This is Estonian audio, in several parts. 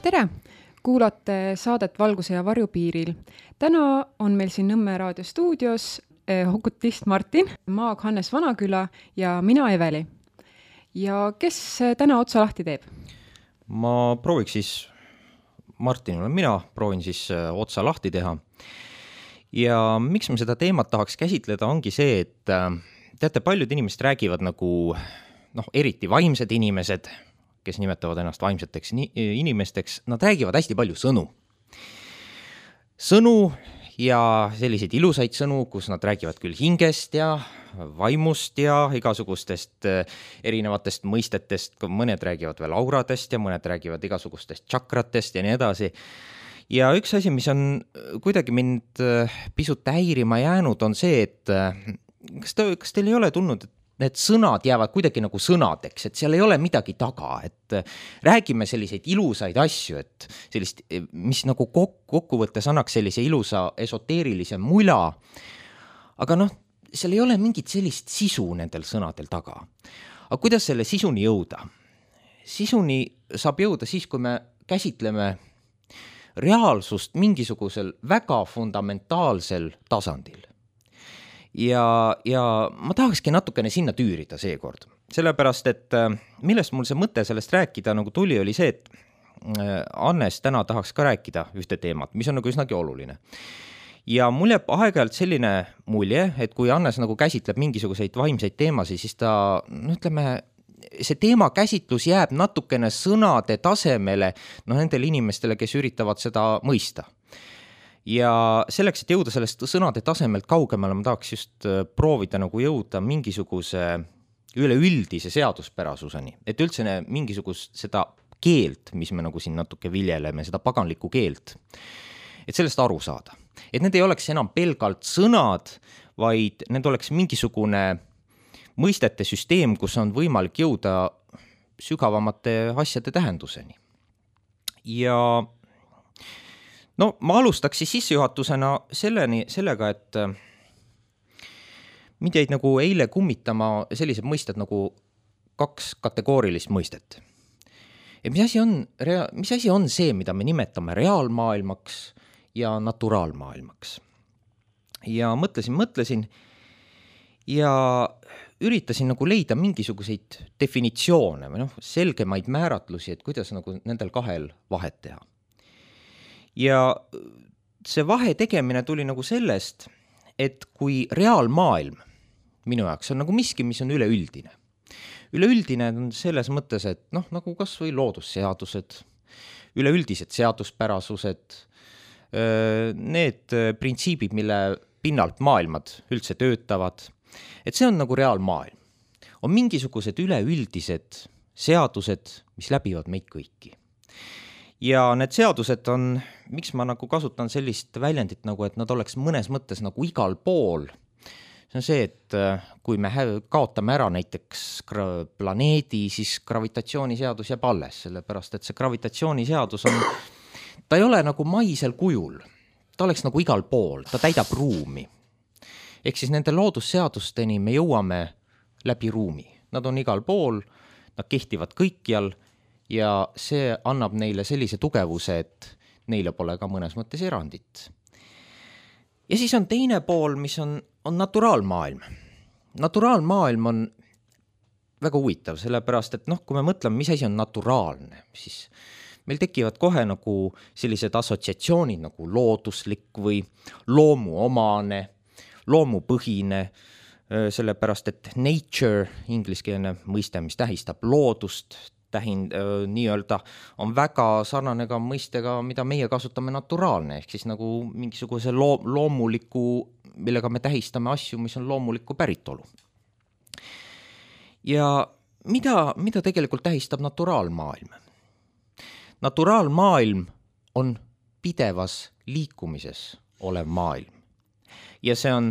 Tere! Kuulate saadet Valguse ja varjupiiril. Täna on meil siin Nõmme raadio stuudios hokutist Martin, Maag Hannes Vanaküla ja mina Eveli. Ja kes täna otsa lahti teeb? Ma prooviks siis, Martin olen mina, proovin siis otsa lahti teha. Ja miks me seda teemat tahaks käsitleda ongi see, et teate, paljud inimesed räägivad nagu, eriti vaimsed inimesed, kes nimetavad ennast vaimseteks inimesteks, nad räägivad hästi palju sõnu. Sõnu ja selliseid ilusaid sõnu, kus nad räägivad küll hingest ja vaimust ja igasugustest erinevatest mõistetest, mõned räägivad veel auradest ja mõned räägivad igasugustest tšakratest ja nii edasi. Ja üks asi, mis on kuidagi mind pisut häirima jäänud, on see, et kas teil ei ole tulnud, et need sõnad jäävad kuidagi nagu sõnadeks, et seal ei ole midagi taga, et räägime selliseid ilusaid asju, et sellist, mis nagu kokkuvõttes annaks sellise ilusa esoteerilise mula, aga seal ei ole mingit sellist sisu nendel sõnadel taga. Aga kuidas selle sisuni jõuda? Sisuni saab jõuda siis, kui me käsitleme reaalsust mingisugusel väga fundamentaalsel tasandil. Ja ma tahakski natukene sinna tüürida seekord. Sellepärast, et millest mul see mõte sellest rääkida nagu tuli, oli see, et Hannes täna tahaks ka rääkida ühte teemat, mis on nagu üsnagi oluline. Ja mul jääb aeg-ajalt selline mulje, et kui Hannes nagu käsitleb mingisuguseid vaimseid teemasid, siis ta, see teema käsitlus jääb natukene sõnade tasemele nendele inimestele, kes üritavad seda mõista. Ja selleks, et jõuda sellest sõnade tasemelt kaugemale, ma tahaks just proovida nagu jõuda mingisuguse üleüldise seaduspärasuseni, et üldse mingisugust seda keelt, mis me nagu siin natuke viljeleme, seda paganlikku keelt, et sellest aru saada. Et need ei oleks enam pelgalt sõnad, vaid need oleks mingisugune mõistete süsteem, kus on võimalik jõuda sügavamate asjade tähenduseni. Ja ma alustaks siis sissejuhatusena sellega, et mind jäid nagu eile kummitama sellised mõisted nagu 2 kategoorilist mõistet. Et mis asi on see, mida me nimetame reaalmaailmaks ja naturaalmaailmaks? Ja mõtlesin ja üritasin nagu leida mingisuguseid definitsioone või selgemaid määratlusi, et kuidas nagu nendel kahel vahet teha. Ja see vahe tegemine tuli nagu sellest, et kui reaalmaailm minu jaoks on nagu miski, mis on üleüldine. Üleüldine on selles mõttes, et nagu kas või loodusseadused, üleüldised seaduspärasused, need printsiibid, mille pinnalt maailmad üldse töötavad, et see on nagu reaalmaailm. On mingisugused üleüldised seadused, mis läbivad meid kõiki. Ja need seadused on, miks ma nagu kasutan sellist väljendit nagu, et nad oleks mõnes mõttes nagu igal pool. See on see, et kui me kaotame ära näiteks planeedi, siis gravitatsiooniseadus jääb alles, sellepärast et see gravitatsiooniseadus on, ta ei ole nagu maisel kujul, ta oleks nagu igal pool, ta täidab ruumi. Ehk siis nende loodusseadusteni me jõuame läbi ruumi. Nad on igal pool, nad kehtivad kõikjal, ja see annab neile sellise tugevuse, et neile pole ka mõnes mõttes erandit. Ja siis on teine pool, mis on naturaalmaailm. Naturaalmaailm on väga huvitav, sellepärast, et kui me mõtleme, mis asi on naturaalne, siis meil tekivad kohe nagu sellised assotsiatsioonid nagu looduslik või loomuomane, loomupõhine, sellepärast, et nature, ingliskeelne mõiste, mis tähistab loodust, nii-öelda on väga sarnane ka mõistega, mida meie kasutame naturaalne, ehk siis nagu mingisuguse loomuliku, millega me tähistame asju, mis on loomuliku päritolu. Ja mida tegelikult tähistab naturaalmaailm? Naturaalmaailm on pidevas liikumises olev maailm. Ja see on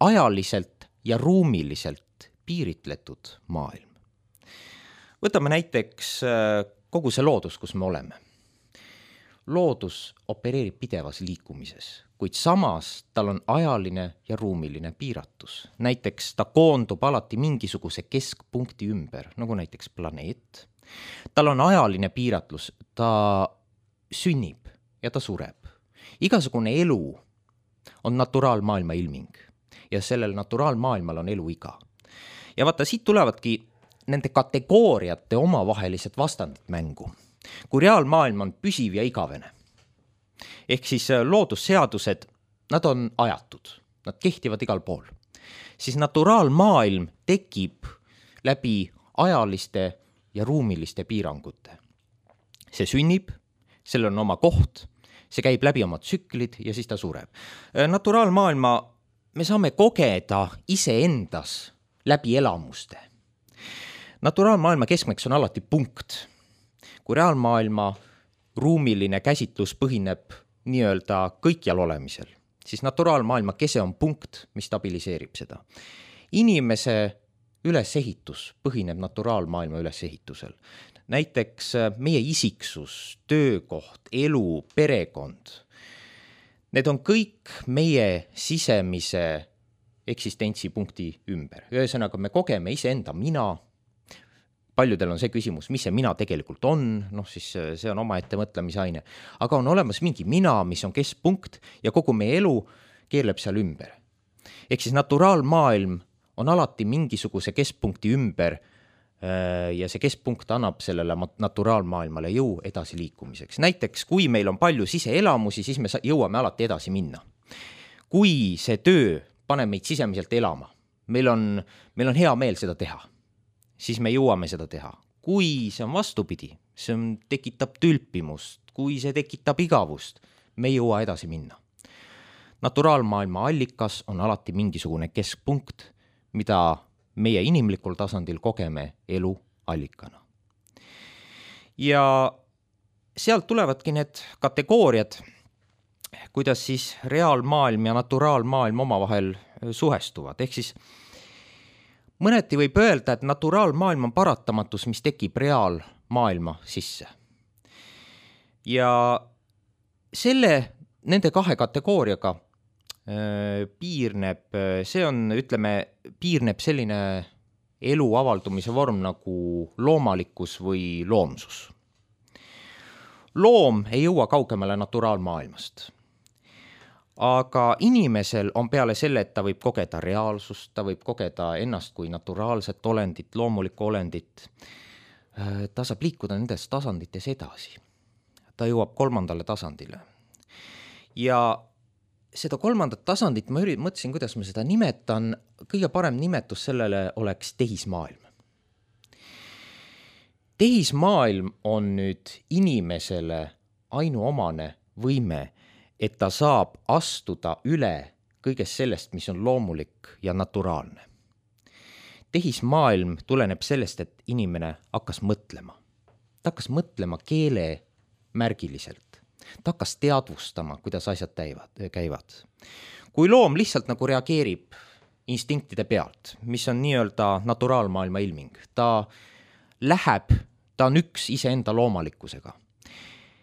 ajaliselt ja ruumiliselt piiritletud maailm. Võtame näiteks kogu see loodus, kus me oleme. Loodus opereerib pidevas liikumises, kuid samas tal on ajaline ja ruumiline piiratus. Näiteks ta koondub alati mingisuguse keskpunkti ümber, nagu näiteks planeet. Tal on ajaline piiratlus, ta sünnib ja ta sureb. Igasugune elu on naturaalmaailma ilming ja sellel naturaalmaailmal on eluiga. Ja vaata, siit tulevadki nende kategooriate omavahelised vastandid mängu. Kui reaalmaailm on püsiv ja igavene, ehk siis loodusseadused, nad on ajatud, nad kehtivad igal pool, siis naturaalmaailm tekib läbi ajaliste ja ruumiliste piirangute. See sünnib, sellel on oma koht, see käib läbi oma tsüklid ja siis ta sureb. Naturaalmaailma me saame kogeda iseendas läbi elamuste. Naturaalmaailma keskmeks on alati punkt. Kui reaalmaailma ruumiline käsitlus põhineb nii-öelda kõikjal olemisel, siis naturaalmaailma kese on punkt, mis stabiliseerib seda. Inimese ülesehitus põhineb naturaalmaailma ülesehitusel. Näiteks meie isiksus, töökoht, elu, perekond. Need on kõik meie sisemise eksistentsipunkti ümber. Ühesõnaga, me kogeme iseenda mina. Paljudel on see küsimus, mis see mina tegelikult on, siis see on oma ette mõtlemisaine. Aga on olemas mingi mina, mis on keskpunkt ja kogu meie elu keerleb seal ümber. Ehk siis naturaalmaailm on alati mingisuguse keskpunkti ümber ja see keskpunkt annab sellele naturaalmaailmale jõu edasi liikumiseks. Näiteks, kui meil on palju siseelamusi, siis me jõuame alati edasi minna. Kui see töö paneb meid sisemiselt elama, meil on hea meel seda teha, siis me jõuame seda teha. Kui see on vastupidi, see tekitab tülpimust, kui see tekitab igavust, me ei jõua edasi minna. Naturaalmaailma allikas on alati mingisugune keskpunkt, mida meie inimlikul tasandil kogeme elu allikana. Ja sealt tulevadki need kategooriad, kuidas siis reaalmaailm ja naturaalmaailm omavahel suhestuvad. Ehk siis mõneti võib öelda, et naturaalmaailm on paratamatus, mis tekib reaalmaailma sisse. Ja nende kahe kategooriaga piirneb selline elu avaldumise vorm nagu loomalikkus või loomsus. Loom ei jõua kaugemale naturaalmaailmast. Aga inimesel on peale selle, et ta võib kogeda reaalsust, ta võib kogeda ennast kui naturaalset olendit, loomulikku olendit. Ta saab liikuda nendes tasandites edasi. Ta jõuab 3. tasandile. Ja seda 3. tasandit ma mõtlesin, kuidas ma seda nimetan. Kõige parem nimetus sellele oleks tehismaailm. Tehismaailm on nüüd inimesele ainuomane võime, et ta saab astuda üle kõigest sellest, mis on loomulik ja naturaalne. Tehismaailm tuleneb sellest, et inimene hakkas mõtlema. Ta hakkas mõtlema keele märgiliselt. Ta hakkas teadvustama, kuidas asjad käivad. Kui loom lihtsalt nagu reageerib instinktide pealt, mis on nii-öelda naturaalmaailma ilming, ta on üks iseenda loomalikkusega,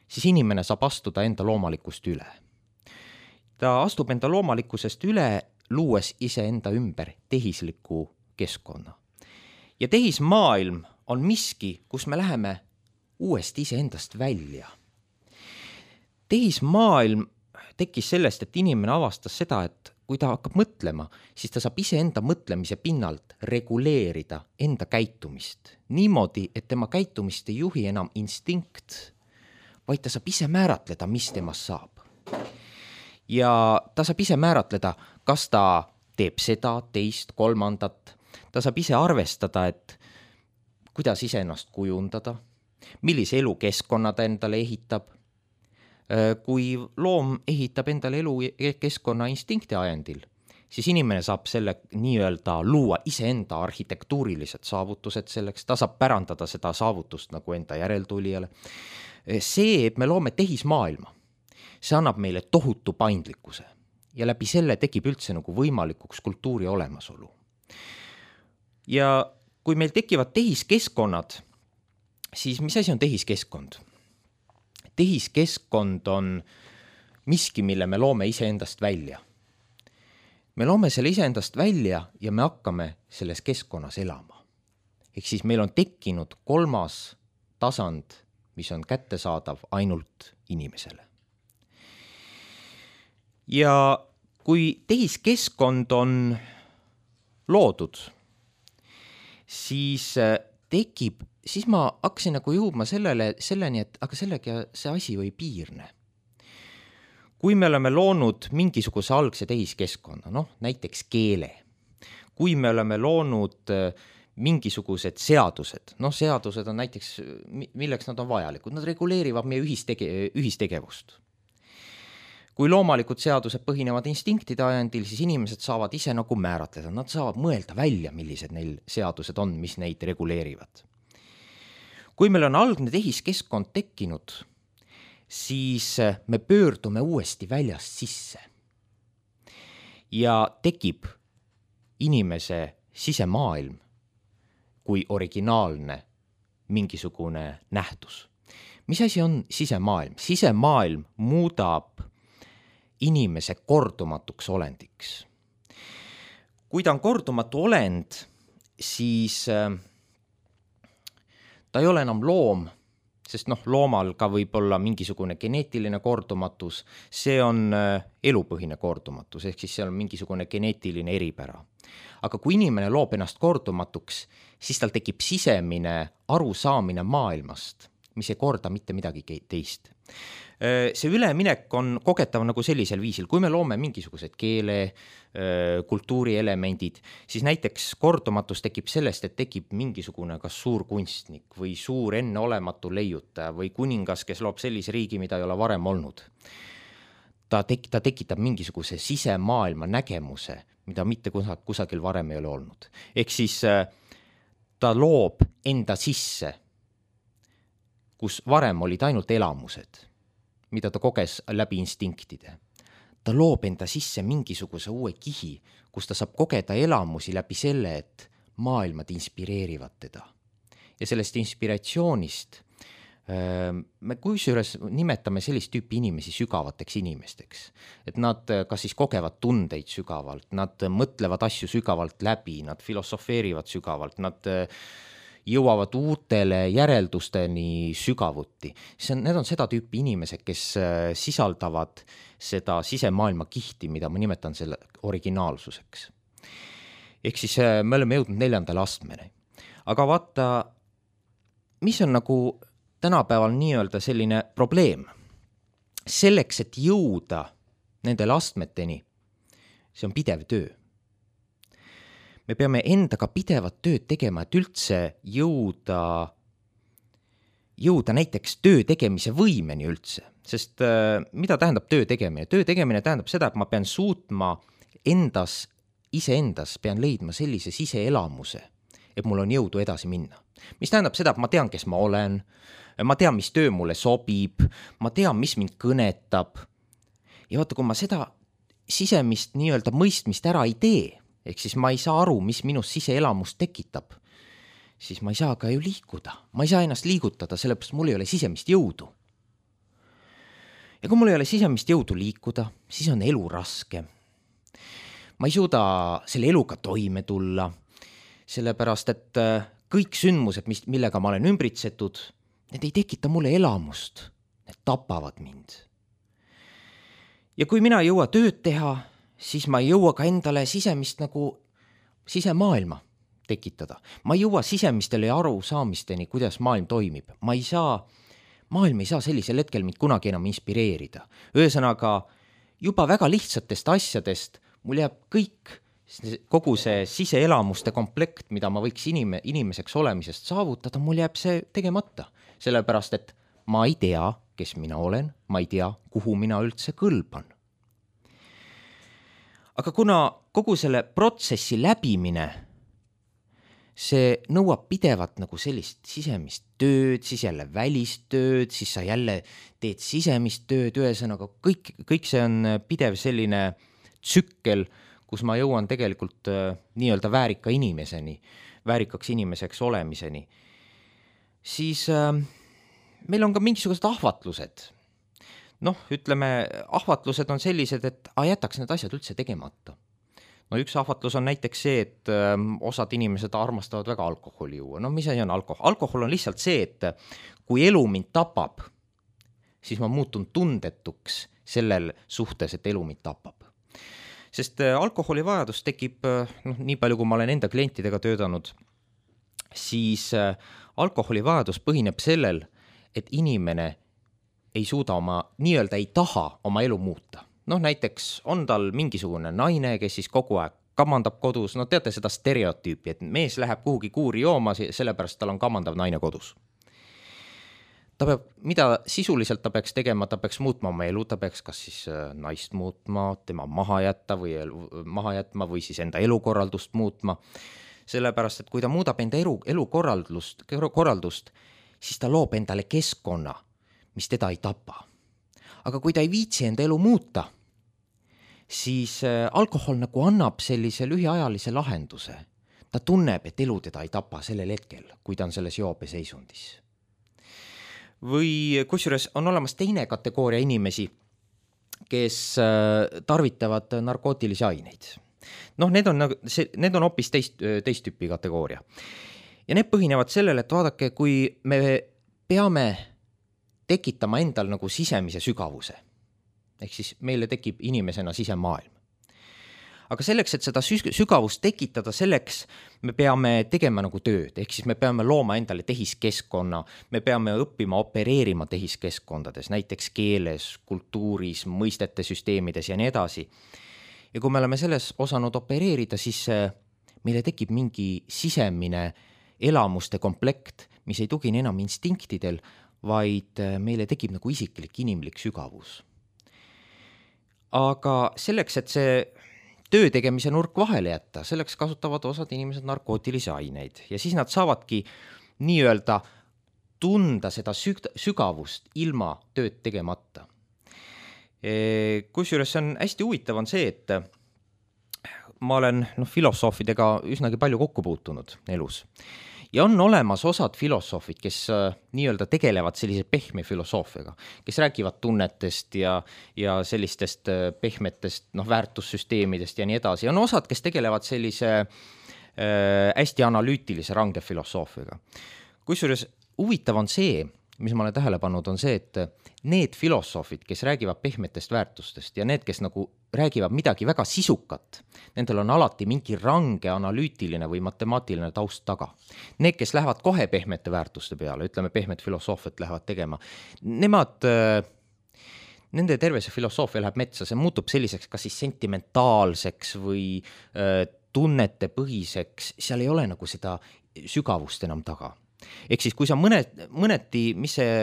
siis inimene saab astuda enda loomalikkust üle. Ta astub enda loomalikkusest üle, luues iseenda ümber tehisliku keskkonna. Ja tehismaailm on miski, kus me läheme uuesti iseendast välja. Tehismaailm tekkis sellest, et inimene avastas seda, et kui ta hakkab mõtlema, siis ta saab iseenda mõtlemise pinnalt reguleerida enda käitumist. Niimoodi, et tema käitumist ei juhi enam instinkt, vaid ta saab ise määratleda, mis temast saab. Ja ta saab ise määratleda, kas ta teeb seda, teist, 3. Ta saab ise arvestada, et kuidas ise ennast kujundada, millise elukeskkonna ta endale ehitab. Kui loom ehitab endale elukeskkonna instinkti ajendil, siis inimene saab selle nii-öelda luua iseenda arhitektuurilised saavutused selleks, ta saab pärandada seda saavutust nagu enda järeltulijale. See, et me loome tehismaailma, see annab meile tohutu paindlikkuse ja läbi selle tekib üldse nagu võimalikuks kultuuri olemasolu. Ja kui meil tekivad tehiskeskkonnad, siis mis asi on tehiskeskkond? Tehiskeskkond on miski, mille me loome iseendast välja. Me loome selle iseendast välja ja me hakkame selles keskkonnas elama. Ehk siis meil on tekkinud 3. tasand mis on kättesaadav ainult inimesele. Ja kui tehiskeskkond on loodud, siis ma hakkasin nagu jõudma selleni, et aga sellega see asi ei piirne. Kui me oleme loonud mingisuguse algse tehiskeskkonna, näiteks keele, kui me oleme loonud mingisugused seadused, seadused on näiteks, milleks nad on vajalikud, nad reguleerivad meie ühistegevust. Kui loomalikud seadused põhinevad instinktide ajendil, siis inimesed saavad ise nagu määratleda, nad saavad mõelda välja, millised neil seadused on, mis neid reguleerivad. Kui meil on algne tehiskeskkond tekkinud, siis me pöördume uuesti väljast sisse ja tekib inimese sisemaailm kui originaalne mingisugune nähtus. Mis asi on sisemaailm? Sisemaailm muudab inimese kordumatuks olendiks. Kui ta on kordumatu olend, siis ta ei ole enam loom, sest loomal ka võib olla mingisugune geneetiline kordumatus, see on elupõhine kordumatus, ehk siis seal on mingisugune geneetiline eripära. Aga kui inimene loob ennast kordumatuks, siis tal tekib sisemine arusaamine maailmast, mis ei korda mitte midagi teist. See üleminek on kogetav nagu sellisel viisil, kui me loome mingisugused keele, kultuurielemendid, siis näiteks kordumatus tekib sellest, et tekib mingisugune kas suur kunstnik või suur enneolematu leiutaja või kuningas, kes loob sellise riigi, mida ei ole varem olnud. Ta tekitab mingisuguse sisemaailma nägemuse, mida mitte kusagil varem ei ole olnud. Ehk siis ta loob enda sisse, kus varem olid ainult elamused, mida ta koges läbi instinktide. Ta loob enda sisse mingisuguse uue kihi, kus ta saab kogeda elamusi läbi selle, et maailmad inspireerivad teda. Ja sellest inspiratsioonist me kusjuures nimetame sellist tüüpi inimesi sügavateks inimesteks. Et nad kas siis kogevad tundeid sügavalt, nad mõtlevad asju sügavalt läbi, nad filosofeerivad sügavalt, nad jõuavad uutele järeldusteni sügavuti. Need on seda tüüpi inimesed, kes sisaldavad seda sisemaailma kihti, mida ma nimetan selle originaalsuseks. Ehk siis me oleme jõudnud 4. astmeni. Aga vaata, mis on nagu tänapäeval nii-öelda selline probleem? Selleks, et jõuda nendele astmeteni, see on pidev töö. Me peame endaga pidevat tööd tegema, et üldse jõuda näiteks töö tegemise võimeni üldse. Sest mida tähendab töö tegemine? Töö tegemine tähendab seda, et ma pean suutma iseendas pean leidma sellise siseelamuse, et mul on jõudu edasi minna. Mis tähendab seda, et ma tean, kes ma olen, ma tean, mis töö mulle sobib, ma tean, mis mind kõnetab. Ja vaata, kui ma seda sisemist nii-öelda mõistmist ära ei tee, ehk siis ma ei saa aru, mis minus siseelamust tekitab, siis ma ei saa ka ju liikuda. Ma ei saa ennast liigutada, sellepärast mul ei ole sisemist jõudu. Ja kui mul ei ole sisemist jõudu liikuda, siis on elu raske. Ma ei suuda selle eluga toime tulla, sellepärast et kõik sündmused, millega ma olen ümbritsetud, need ei tekita mulle elamust, need tapavad mind. Ja kui mina ei jõua tööd teha, siis ma ei jõua ka endale sisemist nagu sisemaailma tekitada. Ma ei jõua sisemistele arusaamisteni, kuidas maailm toimib. Maailm ei saa sellisel hetkel mind kunagi enam inspireerida. Ühesõnaga, juba väga lihtsatest asjadest mul jääb kogu see siseelamuste komplekt, mida ma võiks inimeseks olemisest saavutada, mul jääb see tegemata. Sellepärast, et ma ei tea, kes mina olen, ma ei tea, kuhu mina üldse kõlban. Aga kuna kogu selle protsessi läbimine, see nõuab pidevat nagu sellist sisemist tööd, siis jälle välist tööd, siis sa jälle teed sisemist tööd, ühesõnaga kõik see on pidev selline tsükkel, kus ma jõuan tegelikult nii-öelda väärika inimeseni, väärikaks inimeseks olemiseni. Siis meil on ka mingisugused ahvatlused. Ütleme, ahvatlused on sellised, et jätaks need asjad üldse tegemata. no üks ahvatlus on näiteks see, et osad inimesed armastavad väga alkoholi juua. No mis asi on alkohol? Alkohol on lihtsalt see, et kui elu mind tapab, siis ma muutun tundetuks sellel suhtes, et elu mind tapab. Sest alkoholi vajadus tekib, nii palju kui ma olen enda klientidega töötanud, siis alkoholi vajadus põhineb sellel, et inimene ei suuda nii-öelda ei taha oma elu muuta. Näiteks on tal mingisugune naine, kes siis kogu aeg kamandab kodus, teate seda stereotüüpi, et mees läheb kuhugi kuuri jooma, sellepärast tal on kamandav naine kodus. Mida sisuliselt ta peaks tegema, ta peaks muutma oma elu, ta peaks kas siis naist muutma, tema maha jätma või siis enda elukorraldust muutma. Sellepärast, et kui ta muudab enda elukorraldust, siis ta loob endale keskkonna, mis teda ei tapa. Aga kui ta ei viitsi enda elu muuta, siis alkohol nagu annab sellise lühiajalise lahenduse. Ta tunneb, et elu teda ei tapa sellel hetkel, kui ta on selles joobeseisundis. Või kusjuures on olemas teine kategooria inimesi, kes tarvitavad narkootilisi aineid. Need on hoopis teist tüüpi kategooria. Ja need põhinevad sellele, et vaadake, kui me peame tekitama endal nagu sisemise sügavuse. Ehk siis meile tekib inimesena sisemaailm. Aga selleks, et seda sügavust tekitada, selleks me peame tegema nagu tööd. Ehk siis me peame looma endale tehiskeskkonna, me peame õppima opereerima tehiskeskkondades, näiteks keeles, kultuuris, mõistete süsteemides ja nii edasi. Ja kui me oleme selles osanud opereerida, siis meile tekib mingi sisemine elamuste komplekt, mis ei tugine enam instinktidel, vaid meile tekib nagu isiklik inimlik sügavus. Aga selleks, et see töö tegemise nurk vahele jätta, selleks kasutavad osad inimesed narkootilisi aineid ja siis nad saavadki nii-öelda tunda seda sügavust ilma tööd tegemata. Kusjuures see on hästi huvitav on see, et ma olen filosoofidega üsnagi palju kokku puutunud elus. Ja on olemas osad filosoofid, kes nii-öelda tegelevad sellise pehme filosoofiaga, kes räägivad tunnetest ja sellistest pehmetest väärtussüsteemidest ja nii edasi. On osad, kes tegelevad sellise hästi analüütilise range filosoofiaga. Kusjuures huvitav on see, mis ma olen tähele pannud, on see, et need filosoofid, kes räägivad pehmetest väärtustest ja need, kes nagu räägivad midagi väga sisukat, nendel on alati mingi range analüütiline või matemaatiline taust taga. Need, kes lähevad kohe pehmete väärtuste peale, ütleme pehmet filosoofiat lähevad tegema, nende terve see filosoofia läheb metsa, see muutub selliseks kas siis sentimentaalseks või tunnetepõhiseks, seal ei ole nagu seda sügavust enam taga. Ehk siis kui sa mõneti, mis see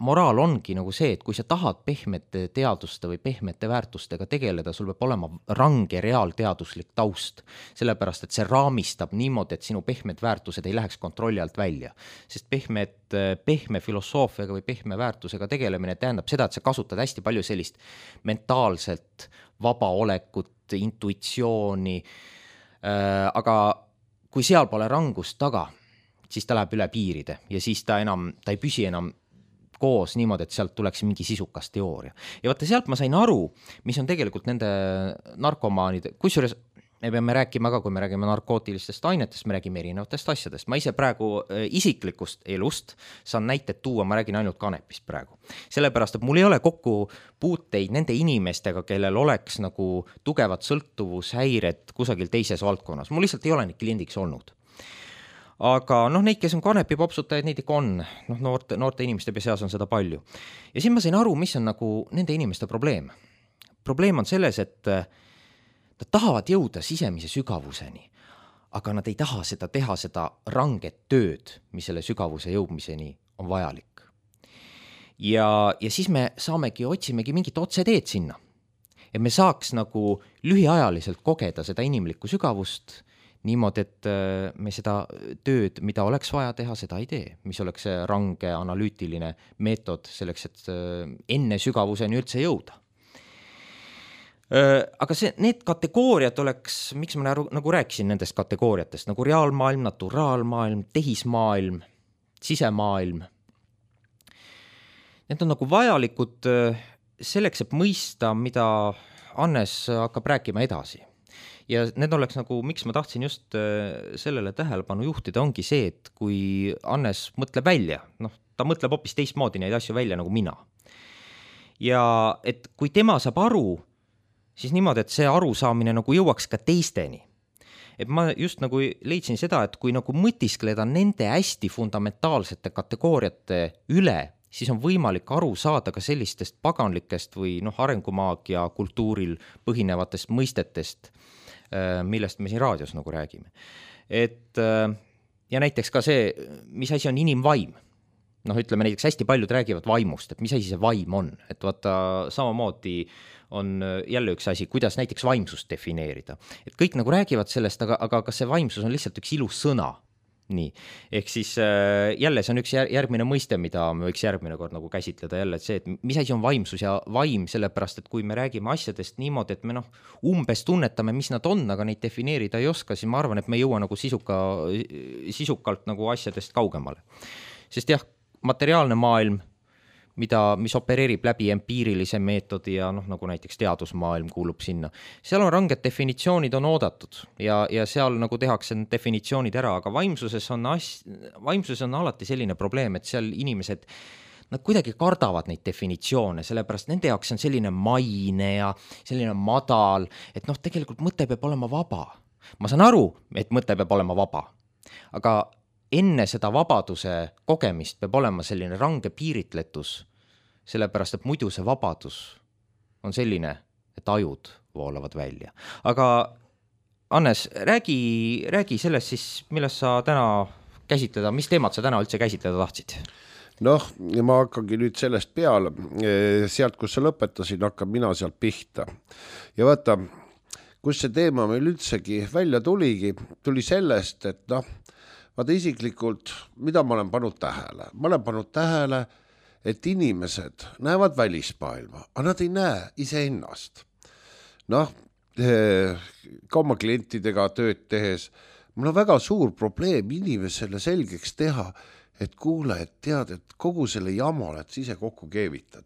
moraal ongi nagu see, et kui sa tahad pehmete teaduste või pehmete väärtustega tegeleda, sul peab olema range reaalteaduslik taust, sellepärast et see raamistab niimoodi, et sinu pehmed väärtused ei läheks kontrolli alt välja. Sest pehme filosoofiaga või pehme väärtusega tegelemine tähendab seda, et sa kasutad hästi palju sellist mentaalselt vabaolekut, intuitsiooni, aga kui seal pole rangust taga, siis ta läheb üle piiride ja siis ta ei püsi enam koos niimoodi, et sealt tuleks mingi sisukas teooria. Ja vaata, sealt ma sain aru, mis on tegelikult nende narkomaanide, kusjuures me peame rääkima ka, kui me räägime narkootilistest ainetest, me räägime erinevatest asjadest. Ma ise praegu isiklikust elust saan näited tuua, ma räägin ainult kanepist praegu. Sellepärast, et mul ei ole kokku puuteid nende inimestega, kellel oleks nagu tugevad sõltuvushäired kusagil teises valdkonnas. Mul lihtsalt ei ole neid kliendiks olnud. Aga neid, kes on kanepi popsutajaid, neid ikka on. Noorte inimeste seas on seda palju. Ja siin ma sain aru, mis on nagu nende inimeste probleem. Probleem on selles, et nad tahavad jõuda sisemise sügavuseni, aga nad ei taha teha seda ranget tööd, mis selle sügavuse jõudmiseni on vajalik. Ja siis me otsimegi mingit otseteed sinna. Et me saaks nagu lühiajaliselt kogeda seda inimlikku sügavust niimoodi, et me seda tööd, mida oleks vaja teha, seda ei tee, mis oleks see range analüütiline meetod selleks, et enne sügavuseni üldse jõuda. Aga need kategooriad oleks, miks ma nagu rääkisin nendest kategooriatest, nagu reaalmaailm, naturaalmaailm, tehismaailm, sisemaailm. Need on nagu vajalikud selleks, et mõista, mida Hannes hakkab rääkima edasi. ja need oleks nagu, miks ma tahtsin just sellele tähelepanu juhtida, ongi see, et kui Hannes mõtleb välja, ta mõtleb hoopis teistmoodi neid asju välja nagu mina. Ja et kui tema saab aru, siis niimoodi, et see arusaamine nagu jõuaks ka teisteni. Et ma just nagu leidsin seda, et kui nagu mõtiskleda nende hästi fundamentaalsete kategooriate üle, siis on võimalik aru saada ka sellistest paganlikest või arengumaagia kultuuril põhinevatest mõistetest, millest me siin raadios nagu räägime. Et ja näiteks ka see, mis asi on inimvaim. Ütleme näiteks hästi paljud räägivad vaimust, et mis asi see vaim on, et vaata samamoodi on jälle üks asi, kuidas näiteks vaimsust defineerida. Et kõik nagu räägivad sellest, aga kas see vaimsus on lihtsalt üks ilus sõna? Nii, ehk siis jälle see on üks järgmine mõiste, mida me võiks järgmine kord nagu käsitleda jälle, et see, et mis asi on vaimsus ja vaim, sellepärast, et kui me räägime asjadest niimoodi, et me umbes tunnetame, mis nad on, aga neid defineerida ei oska, siis ma arvan, et me ei jõua nagu sisukalt nagu asjadest kaugemale. Sest jah, materiaalne maailm, mis opereerib läbi empiirilise meetodi ja nagu näiteks teadusmaailm kuulub sinna. Seal on ranged definitsioonid on oodatud ja seal nagu tehakse definitsioonid ära, aga vaimsuses on alati selline probleem, et seal inimesed nad kuidagi kardavad neid definitsioone, sellepärast nende jaoks on selline maine ja selline madal, et tegelikult mõte peab olema vaba. Ma saan aru, et mõte peab olema vaba, aga enne seda vabaduse kogemist peab olema selline range piiritletus, sellepärast, et muidu see vabadus on selline, et ajud voolavad välja. Aga Hannes, räägi sellest siis, millest sa täna käsitleda, mis teemat sa täna üldse käsitleda tahtsid? Ma hakkangi nüüd sellest peale, sealt, kus sa lõpetasid, hakkan mina sealt pihta. Ja vaata, kus see teema meil üldsegi välja tuli sellest, et vaata isiklikult, mida ma olen pannud tähele? Ma olen pannud tähele, et inimesed näevad välismaailma, aga nad ei näe iseennast. Ka oma klientidega tööd tehes, mul on väga suur probleem inimesele selgeks teha, et kuule, et tead, et kogu selle jama oled sa ise kokku keevitad.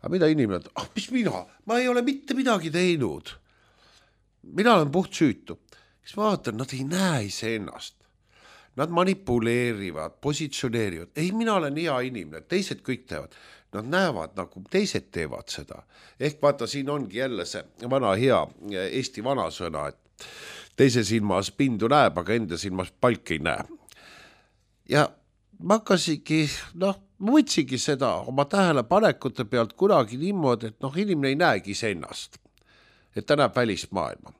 Aga mida inimene, mis mina? Ma ei ole mitte midagi teinud. Mina olen puht süütu. Siis vaatan, nad ei näe iseennast. Nad manipuleerivad, positsioneerivad. Ei, mina olen hea inimene, teised kõik teevad. Nad näevad, nagu teised teevad seda. Ehk vaata, siin ongi jälle see vana hea Eesti vanasõna, et teise silmas pindu näeb, aga enda silmas palk ei näe. Ja ma hakkasingi, ma võtsingi seda oma tähelepanekute pealt kunagi niimoodi, et inimene ei näegi iseennast. Et ta näeb välismaailma.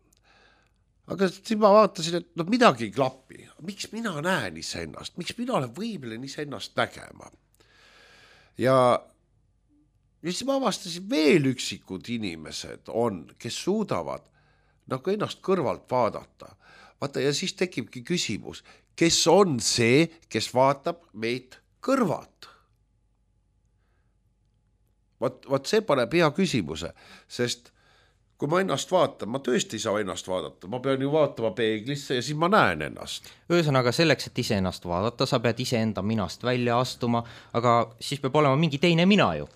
Aga siis ma vaatasin, et midagi ei klapi. Miks mina näen iseennast? Miks mina olen võimeline iseennast nägema? Ja siis ma avastasin veel üksikud inimesed on, kes suudavad ennast kõrvalt vaadata. Vaata, ja siis tekibki küsimus, kes on see, kes vaatab meid kõrvalt? Vaat see paneb hea küsimuse, sest kui ma ennast vaatan, ma tõesti ei saa ennast vaadata, ma pean ju vaatama peeglisse ja siis ma näen ennast. Ühesõnaga selleks, et ise ennast vaadata, sa pead ise enda minast välja astuma, aga siis peab olema mingi teine mina ju.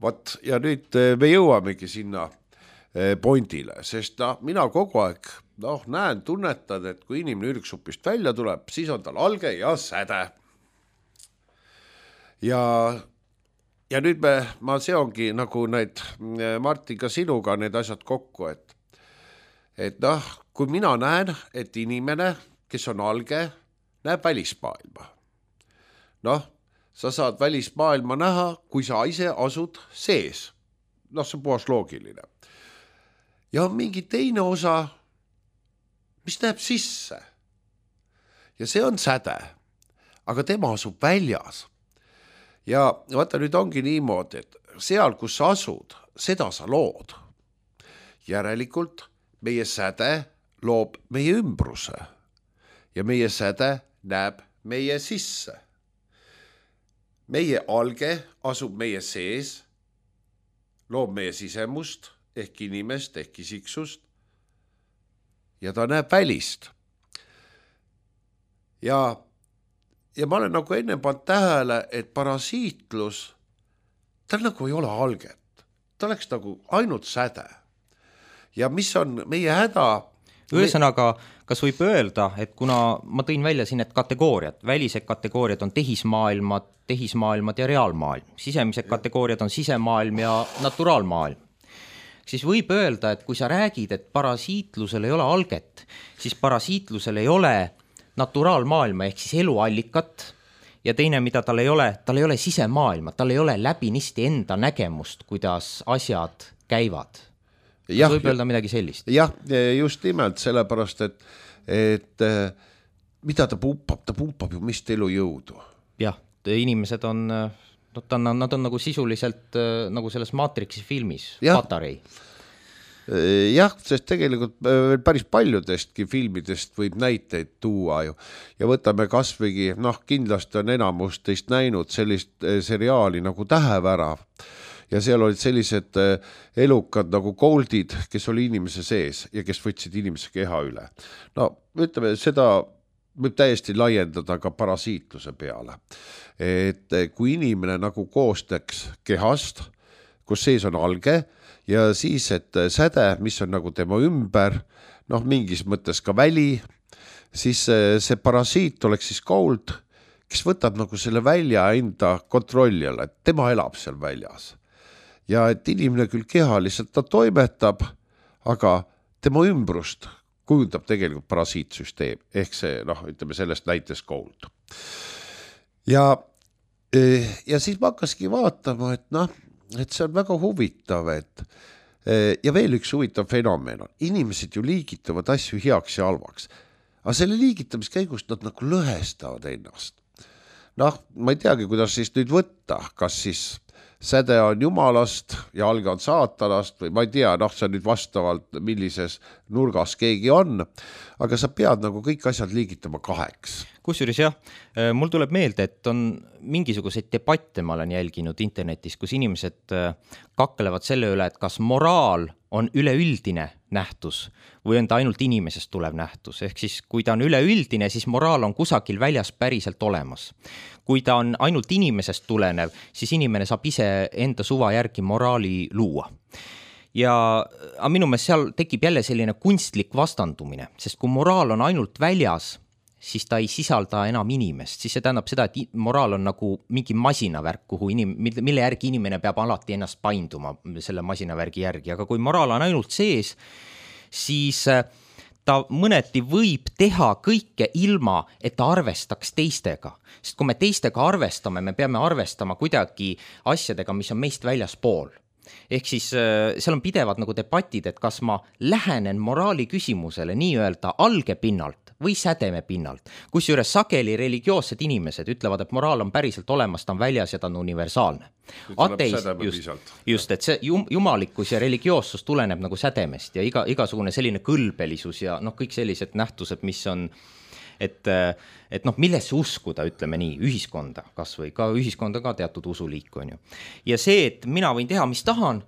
Vat, ja nüüd me jõuamegi sinna pointile, sest mina kogu aeg näen, tunnetan, et kui inimene ürgsupist välja tuleb, siis on tal alge ja säde. Ja nüüd ma seongi nagu need Martin ka sinuga need asjad kokku, et kui mina näen, et inimene, kes on alge, näeb välismaailma. Sa saad välismaailma näha, kui sa ise asud sees. See on puhas loogiline. Ja on mingi teine osa, mis näeb sisse. Ja see on säde, aga tema asub väljas. Ja vaata, nüüd ongi niimoodi, et seal, kus sa asud, seda sa lood. Järelikult meie säde loob meie ümbruse ja meie säde näeb meie sisse. Meie alge asub meie sees, loob meie sisemust ehk inimest ehk isiksust ja ta näeb välist. Ja ma olen nagu enne pannud tähele, et parasiitlus, tal nagu ei ole alget. Ta oleks nagu ainult säde. Ja mis on meie häda? ühesõnaga, kas võib öelda, et kuna ma tõin välja siin need kategooriad, välised kategooriad on tehismaailmad ja reaalmaailm, sisemised kategooriad on sisemaailm ja naturaalmaailm, siis võib öelda, et kui sa räägid, et parasiitlusel ei ole alget, siis parasiitlusel ei ole naturaalmaailma ehk siis eluallikat ja teine, mida tal ei ole sisemaailma, tal ei ole läbinisti enda nägemust, kuidas asjad käivad. Võib öelda midagi sellist. Jah, just nimelt sellepärast, et mida ta pumpab ju mist elujõudu. Jah, inimesed on, nad on nagu sisuliselt nagu selles Matrixi filmis, patarei. Jah, sest tegelikult päris paljudestki filmidest võib näiteid tuua ju. Ja võtame kasvõigi, kindlasti on enamus teist näinud sellist seriaali nagu Tähevärav. Ja seal olid sellised elukad nagu Goldid, kes oli inimese sees ja kes võtsid inimese keha üle. No, ütleme, seda võib täiesti laiendada ka parasiitluse peale. Et kui inimene nagu koostaks kehast, kus sees on alge ja siis, et säde, mis on nagu tema ümber, mingis mõttes ka väli, siis see parasiit oleks siis Gold, kes võtab nagu selle välja enda kontrolli alla, et tema elab seal väljas. Ja et inimene küll kehaliselt ta toimetab, aga tema ümbrust kujundab tegelikult parasiitsüsteem, ehk see, ütleme sellest näites Gold. Ja siis ma hakkaski vaatama, et see on väga huvitav, ja veel üks huvitav fenomen on, inimesed ju liigitavad asju heaks ja halvaks, aga selle liigitamiskäigust nad nagu lõhestavad ennast. Ma ei teagi, kuidas siis nüüd võtta, kas siis säde on jumalast ja alge on saatanast või ma ei tea, see on nüüd vastavalt millises nurgas keegi on, aga sa pead nagu kõik asjad liigitama kaheks. Kusjuures jah, mul tuleb meelde, et on mingisuguseid debatte ma olen jälginud internetis, kus inimesed kaklevad selle üle, et kas moraal on üleüldine nähtus või on ta ainult inimesest tulev nähtus. Ehk siis, kui ta on üleüldine, siis moraal on kusagil väljas päriselt olemas. Kui ta on ainult inimesest tulenev, siis inimene saab ise enda suva järgi moraali luua. Aga minu meelest seal tekib jälle selline kunstlik vastandumine, sest kui moraal on ainult väljas, siis ta ei sisalda enam inimest, siis see tähendab seda, et moraal on nagu mingi masinavärk, mille järgi inimene peab alati ennast painduma selle masinavärgi järgi, aga kui moraal on ainult sees, siis ta mõneti võib teha kõike ilma, et ta arvestaks teistega. Sest kui me teistega arvestame, me peame arvestama kuidagi asjadega, mis on meist väljaspool. Ehk siis seal on pidevad nagu debatid, et kas ma lähenen moraali küsimusele nii-öelda alge pinnalt või sädeme pinnalt. Kusjuures sageli religioossed inimesed ütlevad, et moraal on päriselt olemas, ta on väljas ja ta on universaalne. Just, et see jumalikkus ja religioossus tuleneb nagu sädemest ja igasugune selline kõlbelisus ja kõik sellised nähtused, mis on, et millesse uskuda, ütleme nii, ühiskonda, kas või ka ühiskonda ka teatud usuliik on ju. Ja see, et mina võin teha, mis tahan,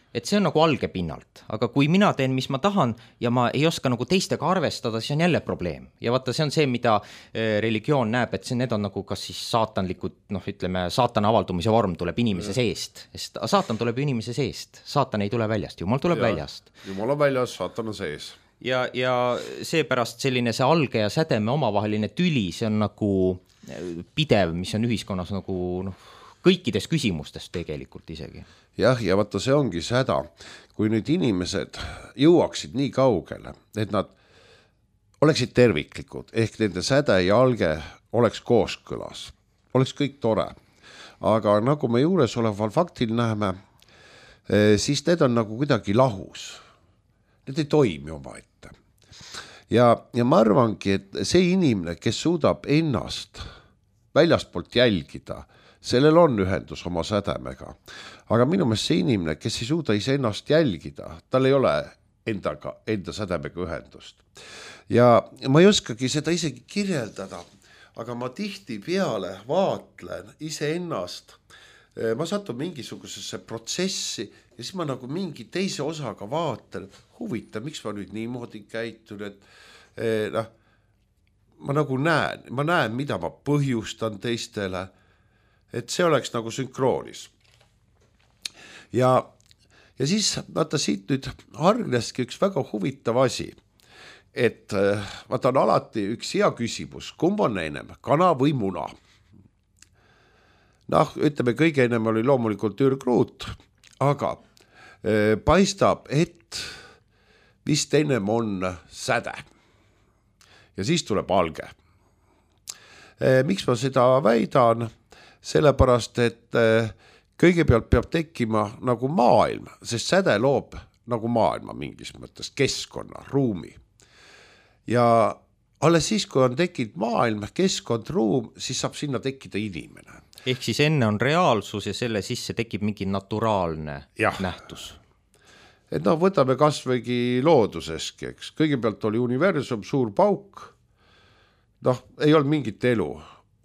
et see on nagu alge pinnalt, aga kui mina teen, mis ma tahan ja ma ei oska nagu teistega arvestada, siis on jälle probleem. Ja vaata, see on see, mida religioon näeb, et need on nagu kas siis saatanlikud, ütleme, saatana avaldumise vorm tuleb inimese seest, sest saatan tuleb ju inimese seest, saatan ei tule väljast, jumal tuleb väljast. Jumal on väljas, saatan on sees. Ja seepärast selline see alge ja sädeme omavaheline tüli, see on nagu pidev, mis on ühiskonnas nagu kõikides küsimustes tegelikult isegi. Jah, ja vaata, see ongi see häda, kui nüüd inimesed jõuaksid nii kaugele, et nad oleksid terviklikud, ehk nende säde ja alge oleks kooskõlas, oleks kõik tore. Aga nagu me juures oleval faktil näeme, siis need on nagu kuidagi lahus. Need ei toimi omaette. Ja ma arvangi, et see inimene, kes suudab ennast väljastpoolt jälgida, sellel on ühendus oma sädemega. Aga minu meelest see inimene, kes ei suuda iseennast jälgida, tal ei ole enda sädemega ühendust. Ja ma ei oskagi seda isegi kirjeldada, aga ma tihtipeale vaatlen iseennast, ma satun mingisugusesse protsessi ja siis ma nagu mingi teise osaga vaatan, huvitav, miks ma nüüd niimoodi käitun, et ma nagu näen, mida ma põhjustan teistele, et see oleks nagu sünkroonis. Ja siis vaata siit nüüd hargneski üks väga huvitav asi, et vaata on alati üks hea küsimus, kumb on ennem, kana või muna? Noh, ütleme, kõige ennem oli loomulikult ürgruut, aga paistab, et vist ennem on säde. Ja siis tuleb alge. Miks ma seda väidan? Sellepärast, et kõigepealt peab tekkima nagu maailm, sest säde loob nagu maailma mingis mõttes, keskkonna, ruumi. Ja alles siis, kui on tekkinud maailm, keskkond, ruum, siis saab sinna tekkida inimene. Ehk siis enne on reaalsus ja selle sisse tekib mingi naturaalne nähtus. Et noh, võtame kasvõigi looduseski, eks. Kõigepealt oli universum, suur pauk. Noh, ei olnud mingit elu,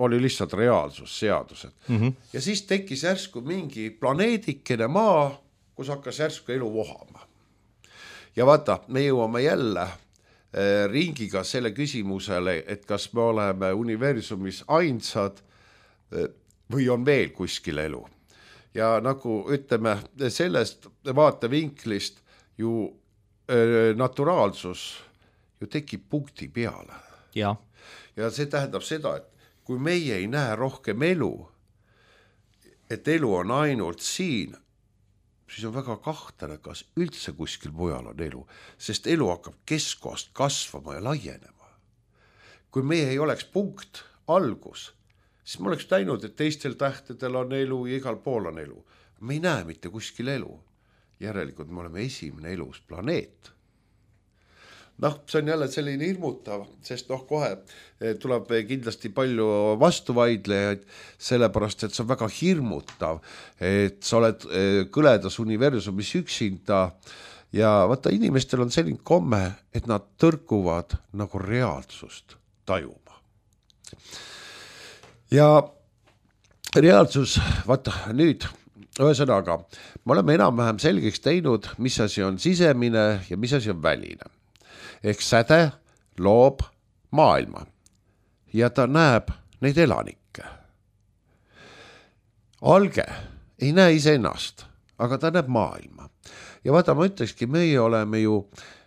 oli lihtsalt reaalsus, seadused. Ja siis tekkis järsku mingi planeedikene maa, kus hakkas järsku elu vohama. Ja vaata, me jõuame jälle ringiga selle küsimusele, et kas me oleme universumis ainsad või on veel kuskil elu. Ja nagu ütleme, sellest vaatevinklist ju naturaalsus ju tekib punkti peale. Ja see tähendab seda, et kui meie ei näe rohkem elu, et elu on ainult siin, siis on väga kahtlane, kas üldse kuskil mujal on elu, sest elu hakkab keskkohast kasvama ja laienema. Kui meie ei oleks punkt, algus, siis ma oleks näinud, et teistel tähtedel on elu ja igal pool on elu. Me ei näe mitte kuskil elu. Järelikult me oleme esimene elus planeet. Noh, see on jälle selline hirmutav, sest noh, kohe tuleb kindlasti palju vastuvaidlejaid, sellepärast, et see on väga hirmutav, et sa oled kõledas universumis üksinda ja vaata, inimestel on selline komme, et nad tõrkuvad nagu reaalsust tajuma. Ja reaalsus, vaata nüüd, ühesõnaga, me oleme enam-vähem selgeks teinud, mis asi on sisemine ja mis asi on väline. Ehk säde loob maailma ja ta näeb neid elanikke. Alge ei näe iseennast, aga ta näeb maailma. Ja vaata, ma ütlekski, meie oleme ju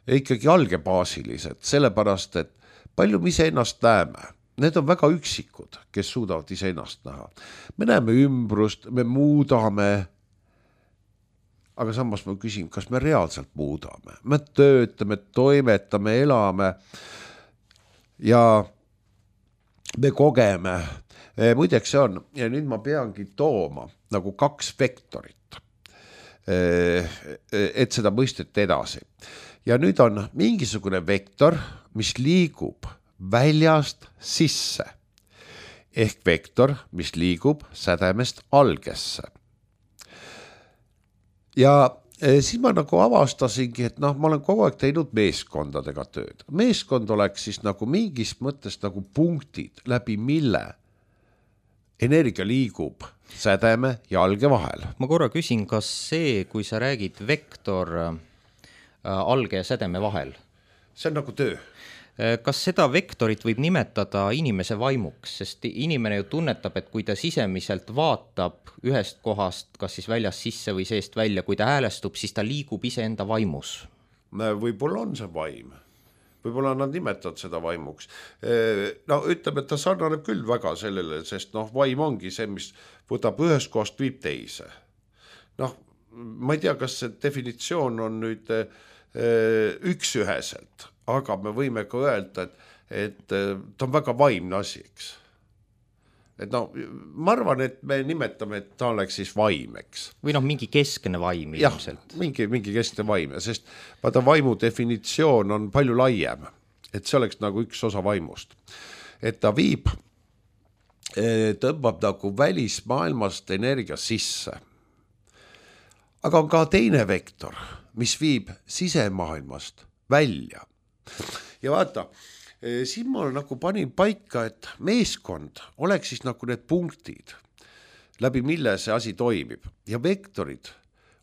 ikkagi algebaasilised, sellepärast, et palju me iseennast näeme. Need on väga üksikud, kes suudavad iseennast näha. Me näeme ümbrust, me muudame, aga samas ma küsin, kas me reaalselt muudame. Me töötame, toimetame, elame ja me kogeme. Muideks see on, ja nüüd ma peangi tooma nagu 2 vektorit, et seda mõistet edasi. Ja nüüd on mingisugune vektor, mis liigub väljast sisse, ehk vektor, mis liigub sädemest algesse. Ja siis ma nagu avastasingi, et noh, ma olen kogu aeg teinud meeskondadega tööd. Meeskond oleks siis nagu mingis mõttes nagu punktid, läbi mille energia liigub sädeme ja alge vahel. Ma korra küsin, kas see, kui sa räägid vektor alge ja sädeme vahel? See on nagu töö. Kas seda vektorit võib nimetada inimese vaimuks, sest inimene ju tunnetab, et kui ta sisemiselt vaatab ühest kohast, kas siis väljast sisse või seest välja, kui ta häälestub, siis ta liigub iseenda vaimus. Võib-olla on see vaim. Võib-olla nad nimetavad seda vaimuks. No ütleme, et ta sarnaneb küll väga sellele, sest noh, vaim ongi see, mis võtab ühest kohast viib teise. Noh, ma ei tea, kas see definitsioon on nüüd üksüheselt, aga me võime ka öelda, et ta on väga vaimne asi, eks. Et no, ma arvan, et me nimetame, et ta oleks siis vaim, eks. Või noh, mingi keskne vaim ilmselt. Mingi keskne vaim, sest vaata vaimu definitsioon on palju laiem, et see oleks nagu üks osa vaimust. Et ta viib, tõmbab nagu välismaailmast energia sisse. Aga on ka teine vektor, mis viib sisemaailmast välja. Ja vaata, siin ma nagu panin paika, et meeskond oleks siis nagu need punktid, läbi mille see asi toimib. Ja vektorid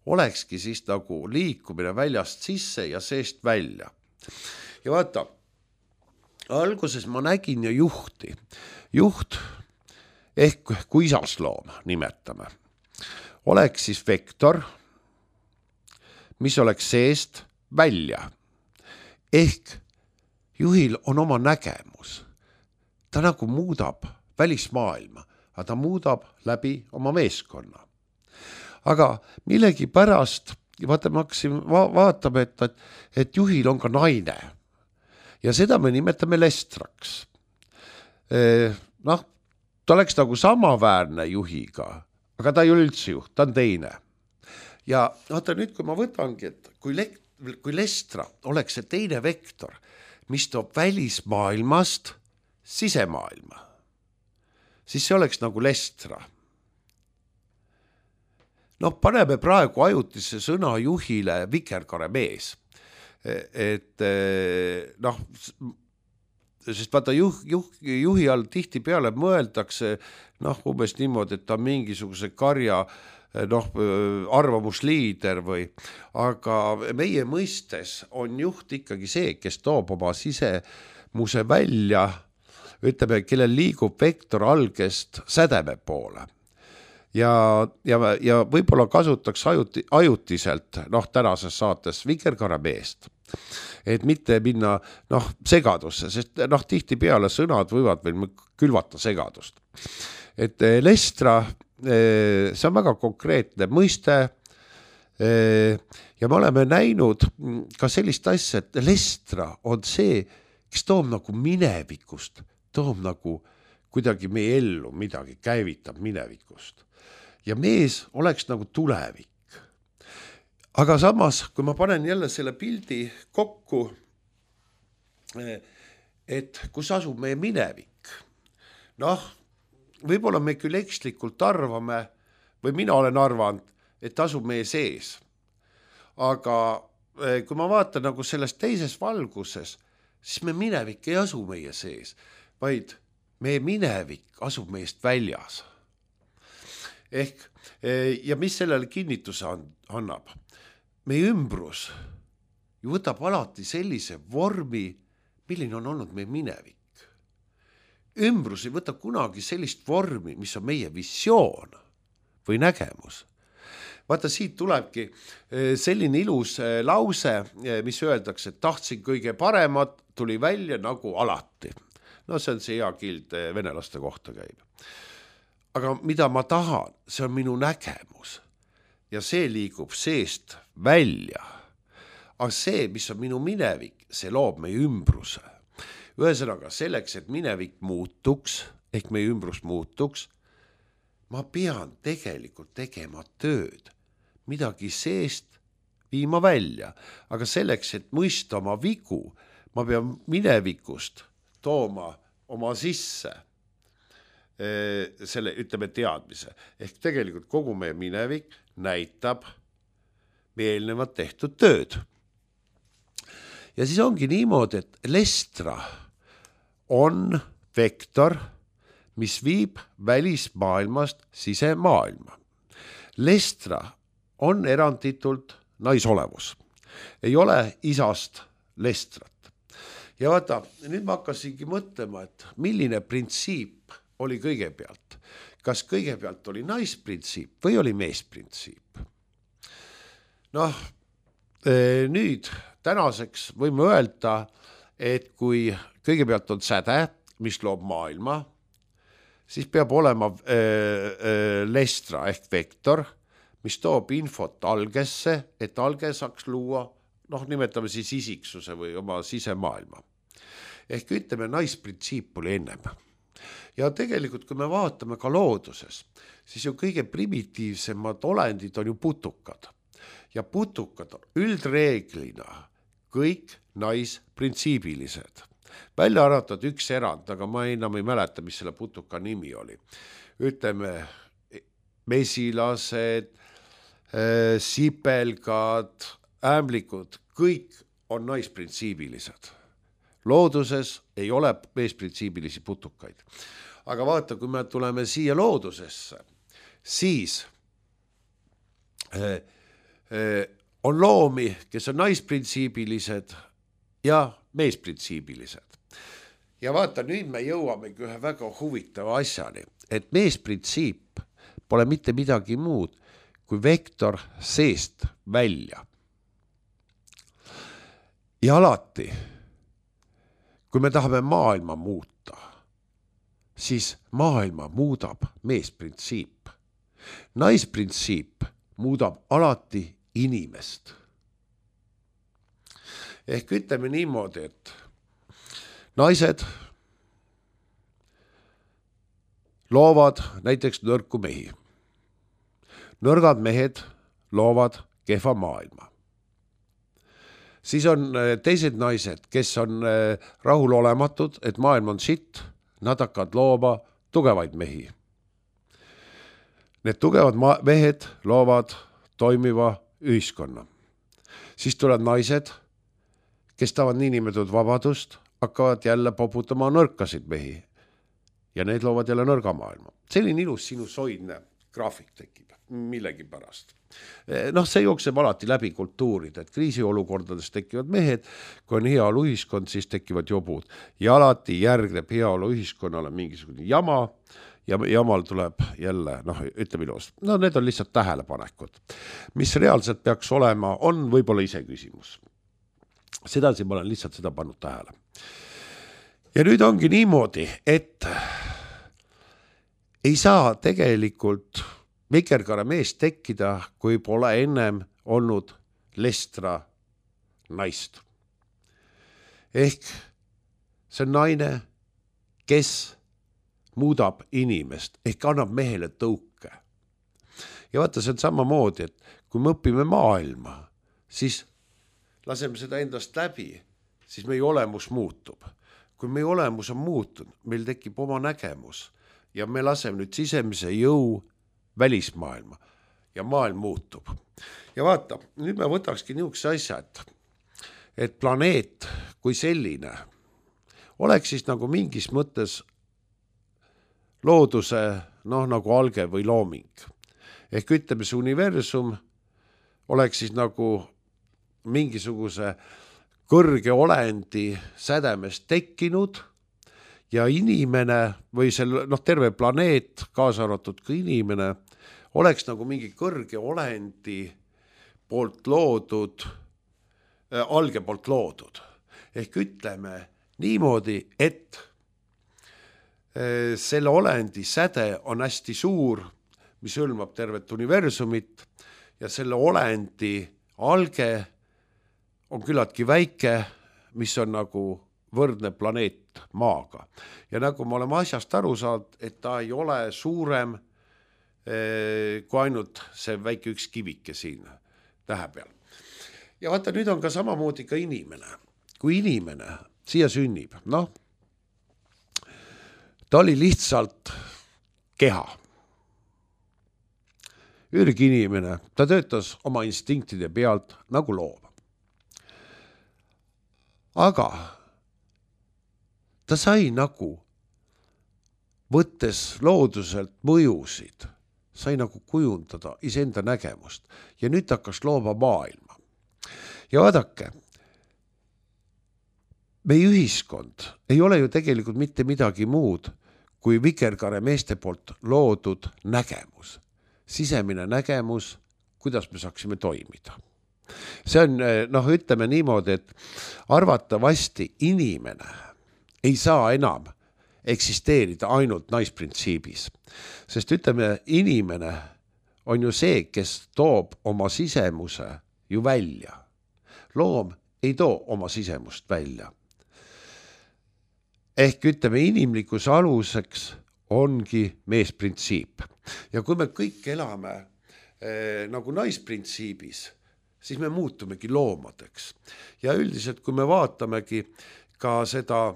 olekski siis nagu liikumine väljast sisse ja seest välja. Ja vaata, alguses ma nägin ju juhti. Juht ehk kuisasloom nimetame. Oleks siis vektor, mis oleks seest välja. Ehk juhil on oma nägemus. Ta nagu muudab välismaailma, aga ta muudab läbi oma meeskonna. Aga millegi pärast, vaata, ma hakkasin vaatama, et juhil on ka naine. Ja seda me nimetame lestraks. Ta oleks nagu samaväärne juhiga, aga ta ei ole üldse juht, ta on teine. Ja vaata nüüd, kui ma võtangi, et kui lestra oleks see teine vektor, mis toob välismaailmast sisemaailma, siis see oleks nagu lestra. Paneme praegu ajutise sõna juhile vikerkaremees. Sest vaata juhi all tihti peale mõeldakse umbes niimoodi, et ta mingisuguse karja arvamusliider või, aga meie mõistes on juht ikkagi see, kes toob oma sisemuse välja, ütleme, kellel liigub vektor algest sädeme poole. Ja võib-olla kasutaks ajutiselt tänases saates vikerkaremeest, et mitte minna segadusse, sest tihti peale sõnad võivad veel külvata segadust. Et lestra, see on väga konkreetne mõiste ja me oleme näinud ka sellist asja, et lestra on see, kes toob nagu minevikust, toob nagu kuidagi meie ellu midagi, käivitab minevikust. Ja mees oleks nagu tulevik. Aga samas, kui ma panen jälle selle pildi kokku, et kus asub meie minevik, võib-olla me küll ekslikult arvame, või mina olen arvanud, et asub meie sees. Aga kui ma vaatan nagu selles teises valguses, siis me minevik ei asu meie sees, vaid meie minevik asub meist väljas. Ja mis sellele kinnituse annab? Meie ümbrus ju võtab alati sellise vormi, milline on olnud meie minevik. Ümbrus ei võta kunagi sellist vormi, mis on meie visioon või nägemus. Vaata, siit tulebki selline ilus lause, mis öeldakse, et tahtsin kõige paremat, tuli välja nagu alati. See on see hea kild venelaste kohta käib. Aga mida ma tahan, see on minu nägemus ja see liigub seest välja. Aga see, mis on minu minevik, see loob meie ümbruse. Ühesõnaga selleks, et minevik muutuks, ehk meie ümbrus muutuks, ma pean tegelikult tegema tööd, midagi seest viima välja. Aga selleks, et mõista oma vigu, ma pean minevikust tooma oma sisse selle, ütleme, teadmise. Ehk tegelikult kogu meie minevik näitab meie eelnevat tehtud tööd. Ja siis ongi niimoodi, et lestra on vektor, mis viib välismaailmast sisemaailma. Lestra on eranditult naisolevus. Ei ole isast lestrat. Ja vaata, nüüd ma hakkasingi mõtlema, et milline printsiip oli kõigepealt. Kas kõigepealt oli naisprintsiip või oli meesprintsiip? Nüüd tänaseks võime öelda, et kui kõigepealt on säde, mis loob maailma, siis peab olema lestra ehk vektor, mis toob infot algesse, et alge saaks luua, nimetame siis isiksuse või oma sisemaailma. Ehk ütleme, naisprintsiip oli ennem. Ja tegelikult, kui me vaatame ka looduses, siis ju kõige primitiivsemad olendid on ju putukad. Ja putukad on üldreeglina kõik naisprintsiibilised. Välja arvatud üks erand, aga ma enam ei mäleta, mis selle putuka nimi oli. Ütleme, mesilased, sipelgad, ämblikud, kõik on naisprintsiibilised. Looduses ei ole meesprintsiibilisi putukaid. Aga vaata, kui me tuleme siia loodusesse, siis on loomi, kes on naisprintsiibilised ja meesprintsiibilised. Ja vaata, nüüd me jõuamegi ühe väga huvitava asjani, et meesprintsiip pole mitte midagi muud kui vektor seest välja. Ja alati kui me tahame maailma muuta, siis maailma muudab meesprintsiip. Naisprintsiip muudab alati inimest. Ehk ütleme niimoodi, et naised loovad näiteks nõrku mehi. Nõrgad mehed loovad kehva maailma. Siis on teised naised, kes on rahulolematud, et maailm on sitt, nad hakkavad looma tugevaid mehi. Need tugevad mehed loovad toimiva ühiskonna. Siis tulevad naised, kes tahavad niinimetatud vabadust, hakkavad jälle poputama nõrkasid mehi ja need loovad jälle nõrga maailma. Selline ilus sinusoidne graafik tekib millegi pärast. See jookseb alati läbi kultuurid, et kriisiolukordades tekivad mehed, kui on heaolu ühiskond, siis tekivad jobud ja alati järgneb heaolu ühiskonnale mingisugune jama ja jamal tuleb jälle, ütleme ilus. Need on lihtsalt tähelepanekud. Mis reaalselt peaks olema, on võib-olla ise küsimus. Sedasi ma olen lihtsalt seda pannud tähele. Ja nüüd ongi niimoodi, et ei saa tegelikult vikerkaare mees tekkida, kui pole ennem olnud lestra naist. Ehk see on naine, kes muudab inimest, ehk annab mehele tõuke. Ja vaata, see on samamoodi, et kui me õpime maailma, siis laseme seda endast läbi, siis meie olemus muutub. Kui meie olemus on muutunud, meil tekib oma nägemus ja me laseme nüüd sisemise jõu välismaailma ja maailm muutub. Ja vaata, nüüd me võtakski niisuguse asja, et planeet kui selline oleks siis nagu mingis mõttes looduse, nagu alge või looming. Ehk ütleme, see universum oleks siis nagu mingisuguse kõrge olendi sädemest tekkinud ja inimene või terve planeet, kaasa arvatud ka inimene, oleks nagu mingi kõrge olendi poolt loodud, alge poolt loodud. Ehk ütleme niimoodi, et selle olendi säde on hästi suur, mis hõlmab tervet universumit ja selle olendi alge on küllaltki väike, mis on nagu võrdne planeet Maaga. Ja nagu me oleme asjast aru saanud, et ta ei ole suurem kui ainult see väike üks kivike siin tähe peal. Ja vaata, nüüd on ka samamoodi ka inimene. Kui inimene siia sünnib, ta oli lihtsalt keha. Ürginimene, ta töötas oma instinktide pealt nagu loom. Aga ta sai nagu, võttes looduselt mõjusid, sai nagu kujundada iseenda nägemust ja nüüd hakkas looma maailma. Ja vaadake, meie ühiskond ei ole ju tegelikult mitte midagi muud kui vikerkaare meeste poolt loodud nägemus, sisemine nägemus, kuidas me saaksime toimida. See on, ütleme niimoodi, et arvatavasti inimene ei saa enam eksisteerida ainult naisprintsiibis. Sest ütleme, inimene on ju see, kes toob oma sisemuse ju välja. Loom ei too oma sisemust välja. Ehk ütleme, inimlikkuse aluseks ongi meesprintsiip. Ja kui me kõik elame nagu naisprintsiibis, siis me muutumegi loomadeks. Ja üldiselt, kui me vaatamegi ka seda,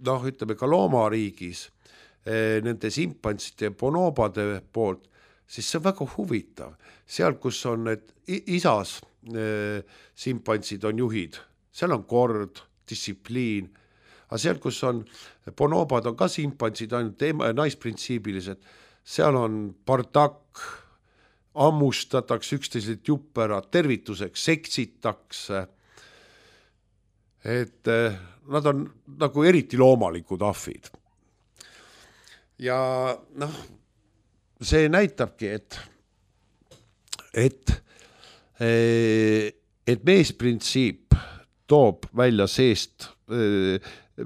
ütleme ka loomariigis, nende simpantside ja bonobade poolt, siis see on väga huvitav. Seal, kus on need isas simpantsid on juhid, seal on kord, distsipliin, aga seal, kus on bonobad on ka simpantsid, ainult naisprintsiibilised, seal on bardakk, ammustatakse üksteiselt juppera, tervituseks seksitakse. Et nad on nagu eriti loomalikud ahvid. Ja see näitabki, et meesprintsiip toob välja seest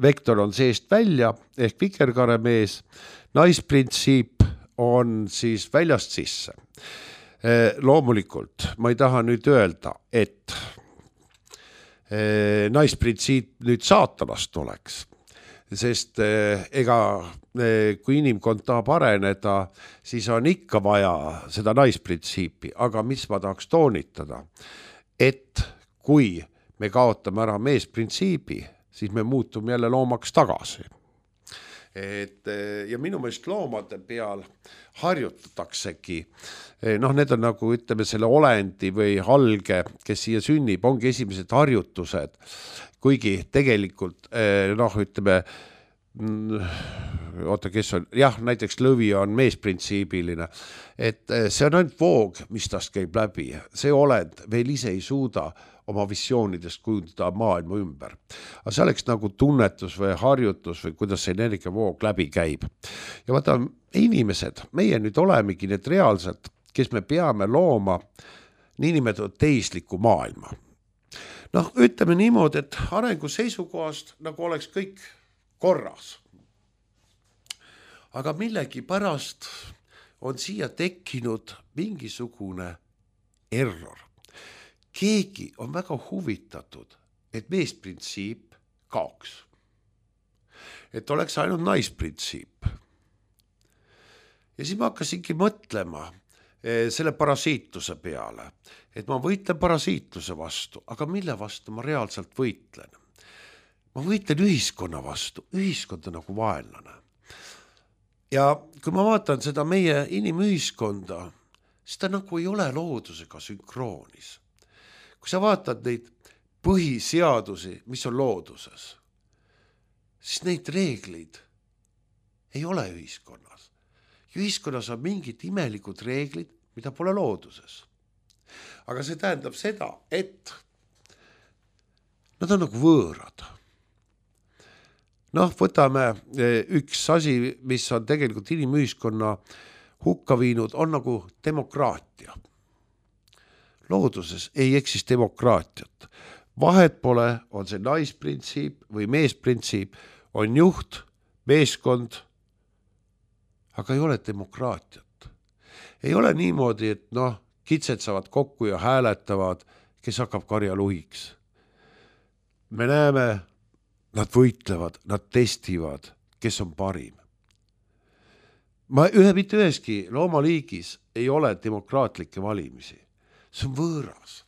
vektor on seest välja ehk vikerkaremees, naisprintsiip on siis väljast sisse. Loomulikult ma ei taha nüüd öelda, et naisprintsiip nüüd saatanast oleks, sest kui inimkond tahab areneda, siis on ikka vaja seda naisprintsiipi, aga mis ma tahaks toonitada, et kui me kaotame ära meesprintsiibi, siis me muutume jälle loomaks tagasi. Ja minu meelest loomade peal harjutataksegi, need on nagu ütleme selle olendi või halge, kes siia sünnib, ongi esimesed harjutused, kuigi tegelikult ütleme, kes on, näiteks lõvi on meesprintsiibiline, et see on ainult voog, mis tast käib läbi, see olend veel ise ei suuda oma visioonidest kujundada maailma ümber. Aga see oleks nagu tunnetus või harjutus või kuidas see energiavoog läbi käib. Ja vaata, inimesed, meie nüüd olemegi need reaalselt, kes me peame looma niinimetatud teisliku maailma. Ütleme niimoodi, et arengu seisukohast nagu oleks kõik korras. Aga millegi pärast on siia tekkinud mingisugune error. Keegi on väga huvitatud, et meesprintsiip kaoks. Et oleks ainult naisprintsiip. Ja siis ma hakkasingi mõtlema selle parasiitluse peale, et ma võitlen parasiitluse vastu, aga mille vastu ma reaalselt võitlen? Ma võitlen ühiskonna vastu, ühiskond on nagu vaenlane. Ja kui ma vaatan seda meie inimühiskonda, siis ta nagu ei ole loodusega sünkroonis. Kui sa vaatad neid põhiseadusi, mis on looduses, siis neid reeglid ei ole ühiskonnas. Ühiskonnas on mingid imelikud reeglid, mida pole looduses. Aga see tähendab seda, et nad on nagu võõrad. Võtame üks asi, mis on tegelikult inimühiskonna hukka viinud, on nagu demokraatia. Looduses ei eksist demokraatiat. Vahet pole, on see naisprintsiip või meesprintsiip, on juht, meeskond, aga ei ole demokraatiat. Ei ole niimoodi, et kitsed saavad kokku ja hääletavad, kes hakkab karjaluhiks. Me näeme, nad võitlevad, nad testivad, kes on parim. Mitte üheski loomaliigis ei ole demokraatlikke valimisi. See on võõras.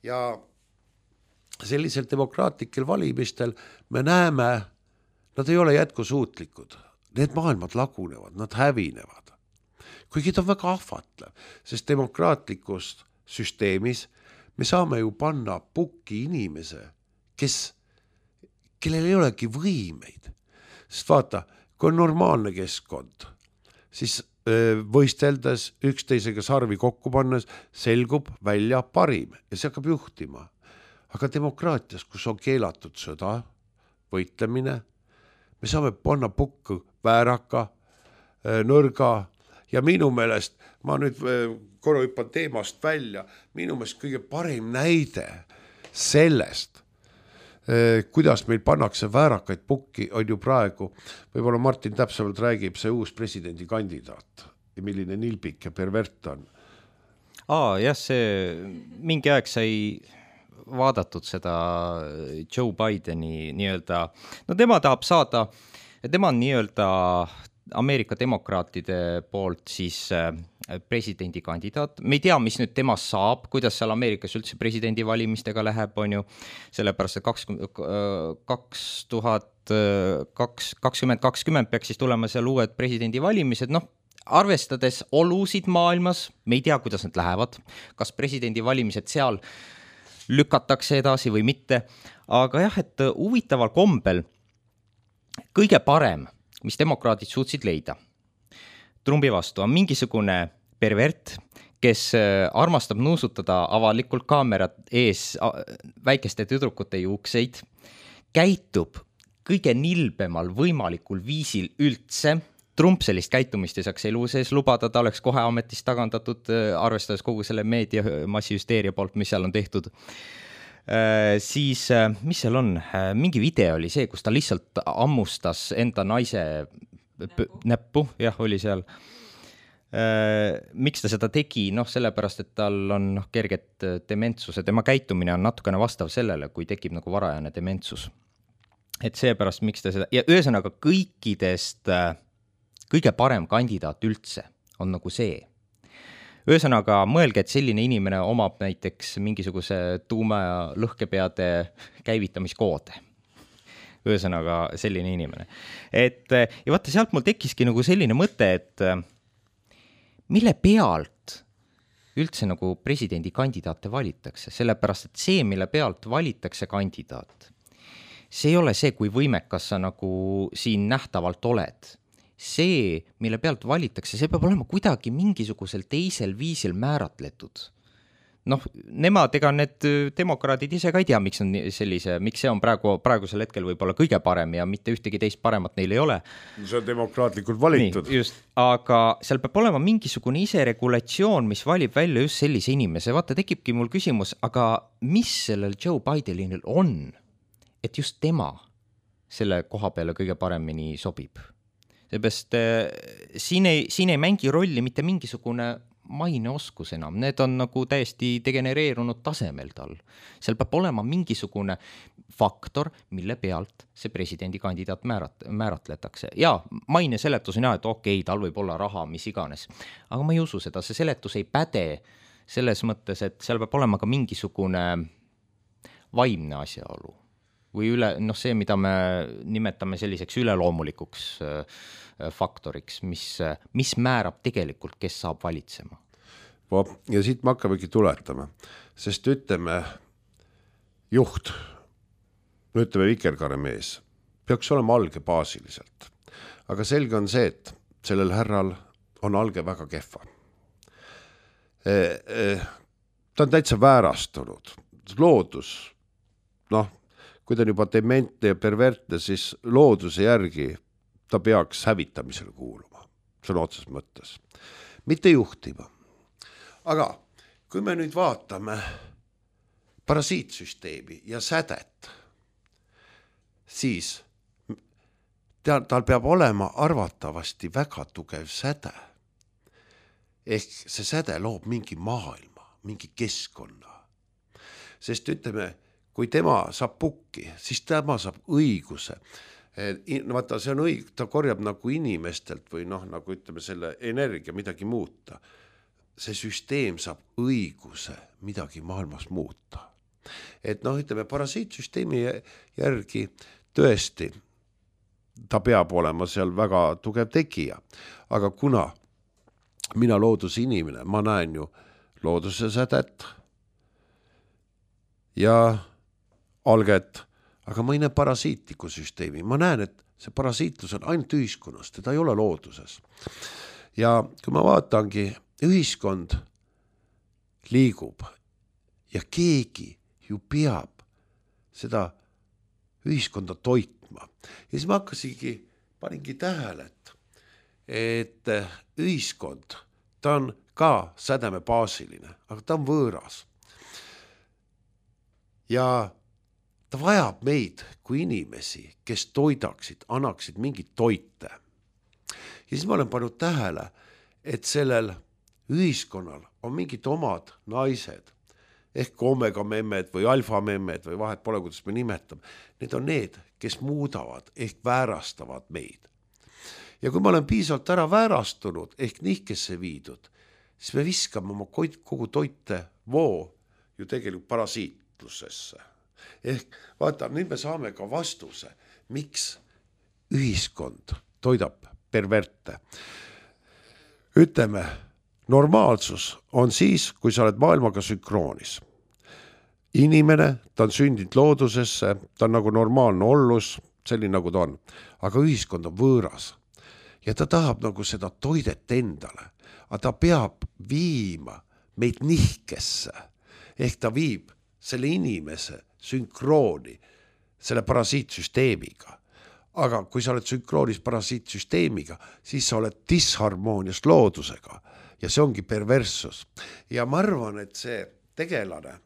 Ja sellisel demokraatlikel valimistel me näeme, nad ei ole jätkusuutlikud. Need maailmad lagunevad, nad hävinevad. Kuigi ta on väga ahvatlev, sest demokraatlikust süsteemis me saame ju panna pukki inimese, kellel ei olegi võimeid. Sest vaata, kui on normaalne keskkond, siis võisteldes üksteisega sarvi kokku pannes selgub välja parim ja see hakkab juhtima. Aga demokraatias, kus on keelatud sõda, võitlemine, me saame panna pukku vääraka, nõrga ja minu meelest, ma nüüd korra hüppan teemast välja, minu meelest kõige parim näide sellest, kuidas meil pannakse väärakaid pukki, on ju praegu, võib-olla Martin täpsemalt räägib, see uus presidendi kandidaat ja milline nilbik ja pervert on. Jah, see mingi aeg sai vaadatud seda Joe Bideni nii-öelda, tema tahab saada, tema on nii-öelda Ameerika demokraatide poolt siis presidendi kandidaat. Me ei tea, mis nüüd temast saab, kuidas seal Ameerikas üldse presidendi valimistega läheb, on ju, sellepärast, et 2020 peaks siis tulema seal uued presidendi valimised, arvestades olusid maailmas, me ei tea, kuidas need lähevad, kas presidendi valimised seal lükatakse edasi või mitte, aga jah, et huvitaval kombel kõige parem, mis demokraadid suutsid leida Trumpi vastu, on mingisugune pervert, kes armastab nuusutada avalikult kaamerat ees väikeste tüdrukute juukseid, käitub kõige nilbemal võimalikul viisil üldse. Trump sellist käitumist ei saaks elu sees lubada, ta oleks kohe ametist tagandatud, arvestades kogu selle meedia massihüsteeria poolt, mis seal on tehtud. Siis, mis seal on, mingi video oli see, kus ta lihtsalt ammustas enda naise näppu, jah, oli seal. Miks ta seda tegi? Sellepärast, et tal on kerget dementsuse, tema käitumine on natukene vastav sellele, kui tekib nagu varajane dementsus. Et seepärast, miks ta seda, ja ühesõnaga kõikidest kõige parem kandidaat üldse on nagu see. Ühesõnaga, mõelge, et selline inimene omab näiteks mingisuguse tuuma ja lõhkepeade käivitamiskoode. Ühesõnaga, selline inimene. Ja vaata, sealt mul tekkiski nagu selline mõte, et mille pealt üldse nagu presidendikandidaate valitakse, sellepärast, et see, mille pealt valitakse kandidaat, see ei ole see, kui võimekas sa nagu siin nähtavalt oled. See, mille pealt valitakse, see peab olema kuidagi mingisugusel teisel viisil määratletud. Nemad, ega need demokraadid ise ka ei tea, miks see on praegusel hetkel võib-olla kõige parem ja mitte ühtegi teist paremat neil ei ole. See on demokraatlikult valitud. Nii, just, aga seal peab olema mingisugune iseregulatsioon, mis valib välja just sellise inimese. Vaata, tekibki mul küsimus, aga mis sellel Joe Bidenil on, et just tema selle koha peale kõige paremini sobib? Seepärast siin ei mängi rolli mitte mingisugune maineoskus enam, need on nagu täiesti degenereerunud tasemel tal. Seal peab olema mingisugune faktor, mille pealt see presidendikandidaat määratletakse. Ja maine seletus on et okei, tal võib olla raha, mis iganes. Aga ma ei usu seda, see seletus ei päde selles mõttes, et seal peab olema ka mingisugune vaimne asjaolu. Või see, mida me nimetame selliseks üleloomulikuks faktoriks, mis määrab tegelikult, kes saab valitsema. Ja siit me hakkamegi tuletama, sest ütleme juht, ütleme vikerkaremees, peaks olema alge baasiliselt. Aga selge on see, et sellel härral on alge väga kehva. Ta on täitsa väärastunud. Loodus, kui ta on juba dementne ja pervertne, siis looduse järgi ta peaks hävitamisele kuuluma. See on otses mõttes. Mitte juhtima. Aga kui me nüüd vaatame parasiitsüsteemi ja sädet, siis tal peab olema arvatavasti väga tugev säde. Ehk see säde loob mingi maailma, mingi keskkonna. Sest ütleme, kui tema saab pukki, siis tema saab õiguse. Vaata, see on ta korjab nagu inimestelt või nagu ütleme selle energia midagi muuta. See süsteem saab õiguse midagi maailmas muuta. Et ütleme, parasiitsüsteemi järgi tõesti ta peab olema seal väga tugev tegija. Aga kuna mina looduse inimene, ma näen ju looduse sädet ja alget, aga ma ei näe parasiitliku süsteemi. Ma näen, et see parasiitlus on ainult ühiskonnas, teda ei ole looduses. Ja kui ma vaatangi, ühiskond liigub ja keegi ju peab seda ühiskonda toitma. Ja siis ma paningi tähele, et ühiskond, ta on ka sädemebaasiline, aga ta on võõras. Ja ta vajab meid kui inimesi, kes toidaksid, annaksid mingit toite. Ja siis ma olen pannud tähele, et sellel ühiskonnal on mingid omad naised, ehk omega-memmed või alfa-memmed või vahet pole, kuidas me nimetame. Need on need, kes muudavad ehk väärastavad meid. Ja kui ma olen piisavalt ära väärastunud ehk nihkesse viidud, siis me viskame oma kogu toite voo ju tegelikult parasiitlusesse. Ehk vaata, nüüd me saame ka vastuse, miks ühiskond toidab perverte. Ütleme, normaalsus on siis, kui sa oled maailmaga sünkroonis. Inimene, ta on sündinud loodusesse, ta on nagu normaalne ollus, selline nagu ta on. Aga ühiskond on võõras ja ta tahab nagu seda toidet endale, aga ta peab viima meid nihkesse. Ehk ta viib selle inimese sünkrooni selle parasiitsüsteemiga. Aga kui sa oled sünkroonis parasiitsüsteemiga, siis sa oled disharmoonias loodusega ja see ongi perverssus. Ja ma arvan, et see tegelane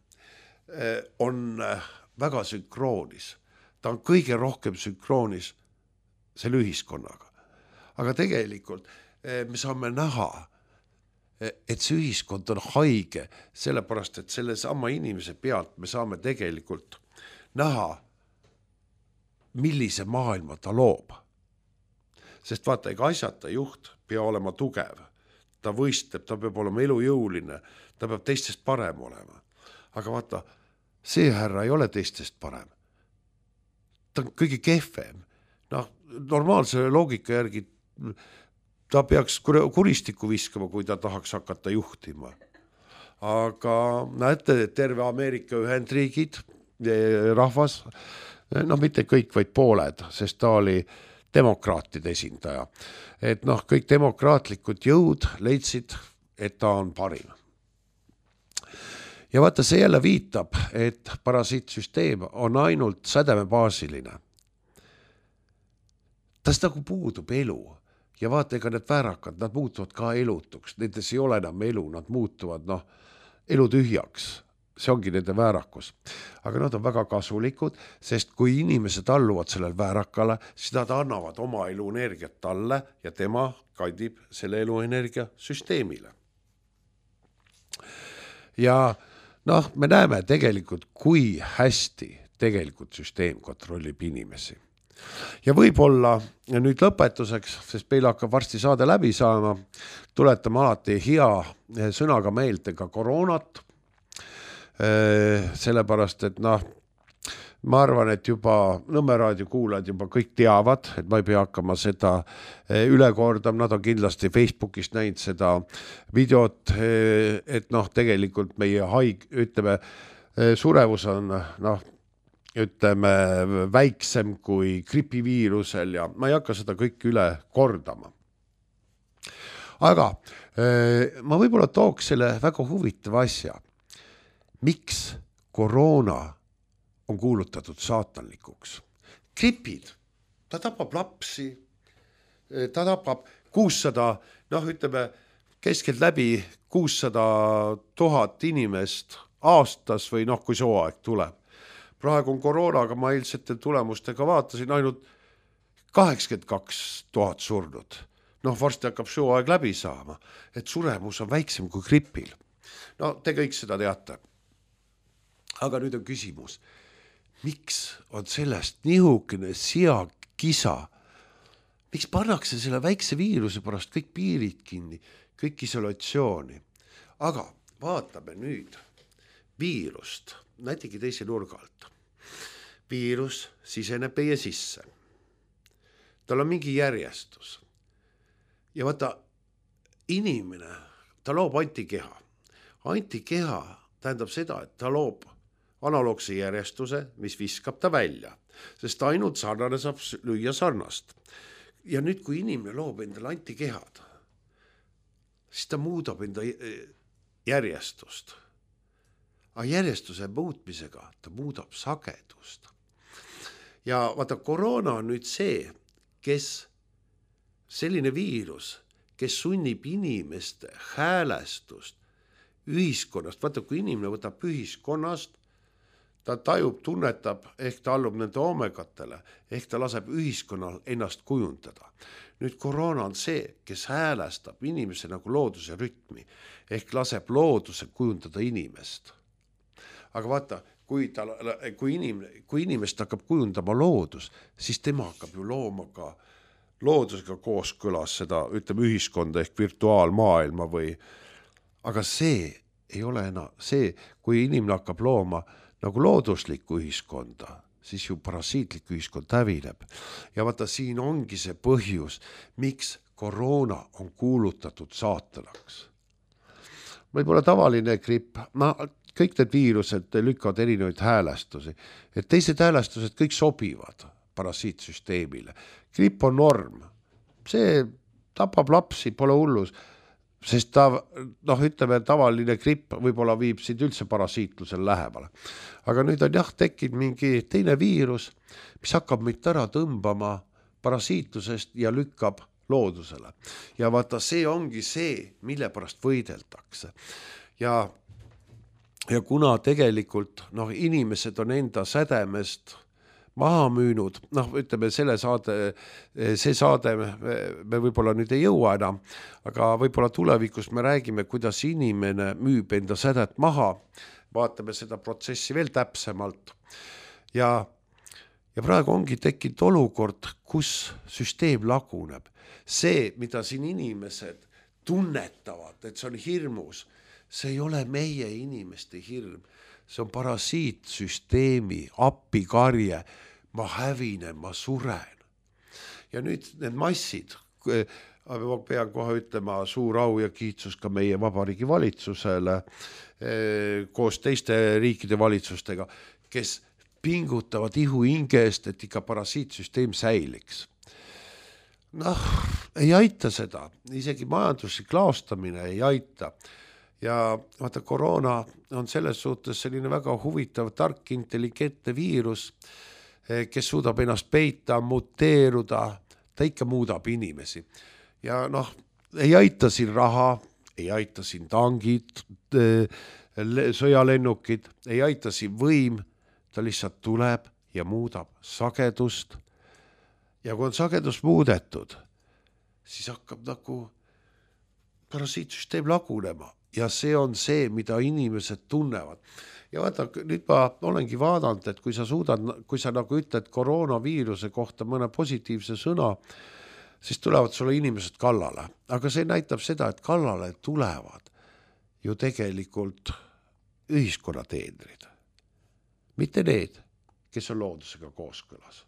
on väga sünkroonis. Ta on kõige rohkem sünkroonis selle ühiskonnaga. Aga tegelikult me saame näha, et see ühiskond on haige, sellepärast, et selle sama inimese pealt me saame tegelikult näha, millise maailma ta loob. Sest vaata, ega asjata juht peab olema tugev. Ta võistleb, ta peab olema elujõuline, ta peab teistest parem olema. Aga vaata, see härra ei ole teistest parem. Ta on kõige kehvem. Normaalse loogika järgi ta peaks kuristikku viskama, kui ta tahaks hakata juhtima. Aga näete, terve Ameerika Ühendriigid rahvas, mitte kõik, vaid pooled, sest ta oli demokraatide esindaja. Et kõik demokraatlikud jõud leidsid, et ta on parim. Ja vaata, see jälle viitab, et parasiitsüsteem on ainult sädemebaasiline. Tast nagu puudub elu. Ja vaata, ega need väärakad, nad muutuvad ka elutuks. Nendes ei ole enam elu, nad muutuvad elu tühjaks. See ongi nende väärakus. Aga nad on väga kasulikud, sest kui inimesed alluvad sellel väärakale, siis nad annavad oma eluenergiat talle ja tema kandib selle eluenergia süsteemile. Ja me näeme tegelikult, kui hästi tegelikult süsteem kontrollib inimesi. Ja võib-olla nüüd lõpetuseks, sest meil hakkab varsti saade läbi saama, tuletame alati hea sõnaga meelde ka koroonat, sellepärast, et ma arvan, et juba Nõmme raadio kuulajad juba kõik teavad, et ma ei pea hakkama seda üle kordama, nad on kindlasti Facebookist näinud seda videot, et tegelikult meie surevus on väiksem kui gripiviirusel ja ma ei hakka seda kõik üle kordama. Aga ma võib-olla tooks selle väga huvitava asja. Miks koroona on kuulutatud saatanlikuks? Gripid, ta tapab lapsi, ta tapab 600, keskelt läbi 600 000 inimest aastas või kui see aeg tuleb. Praegu on koroonaga, ma eilsete tulemustega vaatasin ainult 82 000 surnud. Varsti hakkab see aeg läbi saama, et suremus on väiksem kui gripil. Te kõik seda teate. Aga nüüd on küsimus, miks on sellest nihukene kisa? Miks pannakse selle väikse viiruse pärast kõik piirid kinni, kõik isolatsiooni? Aga vaatame nüüd viirust, näitegi teise nurga alt. Viirus siseneb meie sisse. Tal on mingi järjestus. Ja vaata, inimene, ta loob antikeha. Antikeha tähendab seda, et ta loob analoogse järjestuse, mis viskab ta välja, sest ainult sarnane saab lüüa sarnast. Ja nüüd, kui inimene loob endale antikehad, siis ta muudab enda järjestust. Aga järjestuse muutmisega ta muudab sagedust. Ja vaata, koroona on nüüd see, selline viirus, kes sunnib inimeste häälestust ühiskonnast. Vaata, kui inimene võtab ühiskonnast, ta tajub, tunnetab, ehk ta allub nende omegatele, ehk ta laseb ühiskonnal ennast kujundada. Nüüd koroona on see, kes häälestab inimese nagu looduse rütmi, ehk laseb looduse kujundada inimest. Aga vaata, kui inimest hakkab kujundama loodus, siis tema hakkab ju looma ka loodusega kooskõlas seda, ühiskonda ehk virtuaalmaailma aga see ei ole enam see, kui inimene hakkab looma nagu looduslikku ühiskonda, siis ju parasiitlik ühiskond hävineb. Ja vaata, siin ongi see põhjus, miks koroona on kuulutatud saatanaks. Võib-olla tavaline gripp, kõik need viirused lükkavad erinevaid häälestusi, et teised häälestused kõik sobivad parasiitsüsteemile. Gripp on norm, see tapab lapsi, pole hullus, sest tavaline gripp võib-olla viib sind üldse parasiitlusel lähemale. Aga nüüd on tekkinud mingi teine viirus, mis hakkab meid ära tõmbama parasiitlusest ja lükkab loodusele. Ja vaata, see ongi see, mille pärast võideldakse. Ja ja kuna tegelikult inimesed on enda sädemest maha müünud, ütleme see saade me võib-olla nüüd ei jõua enam, aga võib-olla tulevikus me räägime, kuidas inimene müüb enda sädet maha, vaatame seda protsessi veel täpsemalt ja praegu ongi tekkinud olukord, kus süsteem laguneb. See, mida siin inimesed tunnetavad, et see on hirmus, see ei ole meie inimeste hirm, see on parasiitsüsteemi appikarje, ma hävinen, ma suren. Ja nüüd need massid, ma pean kohe ütlema suur au ja kiitsus ka meie Vabariigi valitsusele koos teiste riikide valitsustega, kes pingutavad ihu hingest, et ikka parasiitsüsteem säiliks. Ei aita seda, isegi majanduslik laostamine ei aita. Ja vaata, koroona on selles suhtes selline väga huvitav, tark, intelligentne viirus, kes suudab ennast peita, muteeruda, ta ikka muudab inimesi. Ja ei aita siin raha, ei aita siin tangid, sõjalennukid, ei aita siin võim, ta lihtsalt tuleb ja muudab sagedust. Ja kui on sagedus muudetud, siis hakkab parasiitsüsteem lagunema ja see on see, mida inimesed tunnevad. Ja vaata, nüüd ma olengi vaadanud, et kui sa ütled koroonaviiruse kohta mõne positiivse sõna, siis tulevad sulle inimesed kallale. Aga see näitab seda, et kallale tulevad ju tegelikult ühiskonnateenrid. Mitte need, kes on loodusega kooskõlas.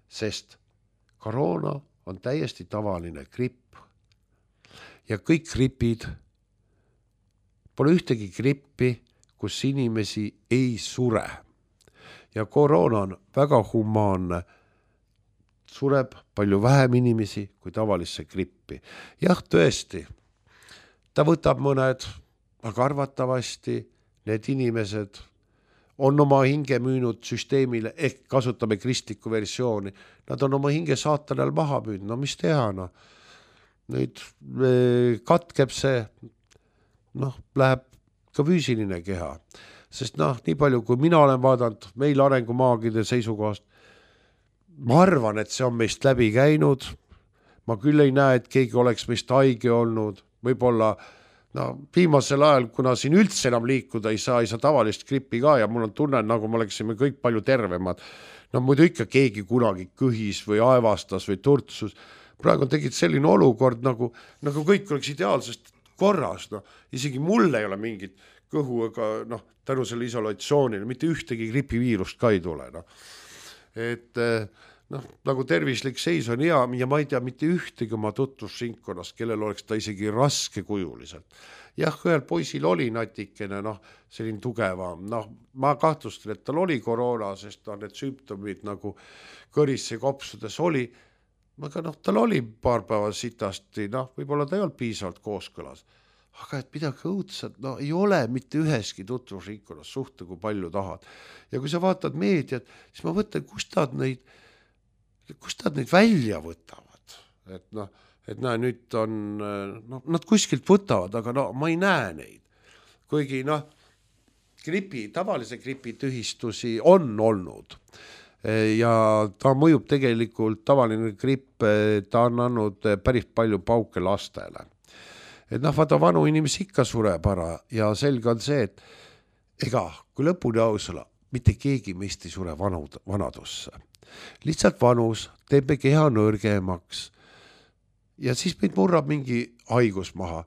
Sest koroona on täiesti tavaline gripp. Ja kõik gripid, pole ühtegi grippi, kus inimesi ei sure. Ja koroona on väga humaanne. Sureb palju vähem inimesi kui tavalisse grippi. Jah, tõesti, ta võtab mõned, aga arvatavasti need inimesed on oma hinge müünud süsteemile, ehk kasutame kristlikku versiooni. Nad on oma hinge saatanal maha müünud, mis teha? Nüüd katkeb see, läheb ka füüsiline keha. Sest nii palju, kui mina olen vaadanud meil arengumaagide seisukohast, ma arvan, et see on meist läbi käinud. Ma küll ei näe, et keegi oleks meist haige olnud. Võib-olla viimasel ajal, kuna siin üldse enam liikuda ei saa tavalist grippi ka ja mul on tunne, nagu me oleksime kõik palju tervemad. Muidu ikka keegi kunagi kõhis või aevastas või turtsus. Praegu on tegid selline olukord, nagu kõik oleks ideaalsest korras. Isegi mul ei ole mingit kõhu, aga tänu selle isolatsioonile mitte ühtegi gripiviirust ka ei tule. Et nagu tervislik seis on hea ja ma ei tea mitte ühtegi oma tutvusringkonnast, kellel oleks ta isegi raske kujuliselt. Jah, ühel poisil oli natikene, selline tugevam. Ma kahtlustan, et tal oli koroona, sest need sümptomid nagu kõrisse kopsudes oli. Aga tal oli paar päeva sitasti, võib-olla ta ei olnud piisavalt kooskõlas. Aga et midagi õudselt, ei ole mitte üheski tutvusringkonnas suhte, kui palju tahad. Ja kui sa vaatad meediat, siis ma mõtlen, kust nad neid välja võtavad. Et nüüd on, nad kuskilt võtavad, aga ma ei näe neid. Kuigi tavalise gripi tühistusi on olnud. Ja ta mõjub tegelikult, tavaline gripp, ta on andnud päris palju pauke lastele. Et vaata, vanu inimesi ikka sureb ära ja selge on see, et kui lõpuni ausala, mitte keegi meist ei sure vanadusse. Lihtsalt vanus teeb me keha nõrgemaks ja siis meid murrab mingi haigus maha.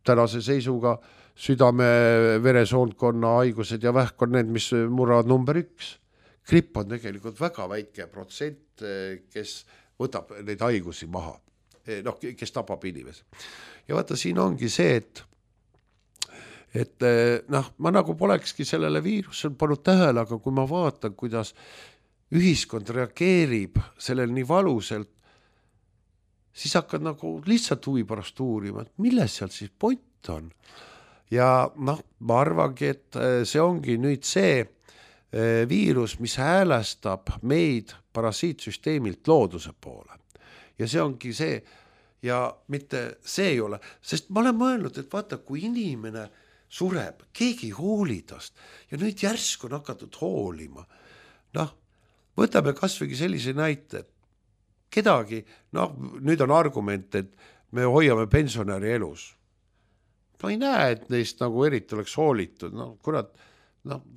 Tänase seisuga südame-veresoonkonna haigused ja vähk on need, mis murravad number 1. Gripp on tegelikult väga väike protsent, kes võtab neid haigusi maha, kes tapab inimesi. Ja vaata, siin ongi see, et ma nagu polekski sellele viirusel pannud tähele, aga kui ma vaatan, kuidas ühiskond reageerib sellele nii valuselt, siis hakkad nagu lihtsalt huvi pärast uurima, et milles seal siis point on. Ja ma arvangi, et see ongi nüüd see viirus, mis häälestab meid parasiitsüsteemilt looduse poole. Ja see ongi see, ja mitte see ei ole, sest ma olen mõelnud, et vaata, kui inimene sureb, keegi ei hooli tast ja nüüd järsku on hakatud hoolima. Võtame kasvõi sellise näite, et kedagi, nüüd on argument, et me hoiame pensionäri elus. Ma ei näe, et neist nagu eriti oleks hoolitud.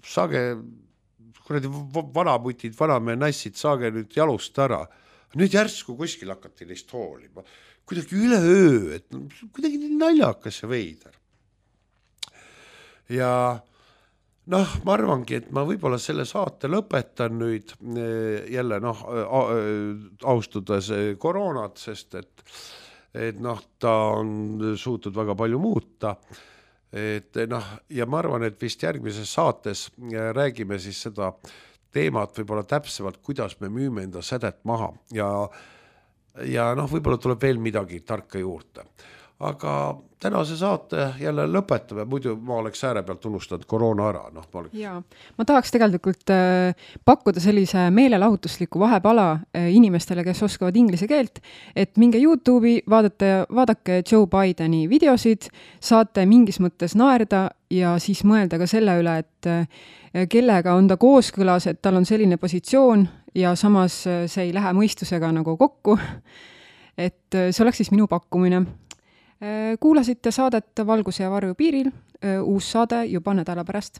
Saage, kuradi vanaputid, vanamehe nassid, saage nüüd jalust ära. Nüüd järsku kuskil hakati neist hoolima. Kuidagi üleöö, et kuidagi naljakas ja veider. Ja ma arvangi, et ma võib-olla selle saate lõpetan nüüd jälle austades koroonat, sest et ta on suutnud väga palju muuta. Ja ma arvan, et vist järgmises saates räägime siis seda teemat võib-olla täpsemalt, kuidas me müüme enda sädet maha ja võib-olla tuleb veel midagi tarka juurde. Aga tänase saate jälle lõpetame, muidu ma oleks ääre pealt unustanud koroona ära. Jaa, ma tahaks tegelikult pakkuda sellise meelelahutusliku vahepala inimestele, kes oskavad inglise keelt, et minge YouTube'i, vaadake Joe Bideni videosid, saate mingis mõttes naerda ja siis mõelda ka selle üle, et kellega on ta kooskõlas, et tal on selline positsioon ja samas see ei lähe mõistusega nagu kokku. Et see oleks siis minu pakkumine. Kuulasite saadet Valguse ja varju piiril, uus saade juba nädala pärast.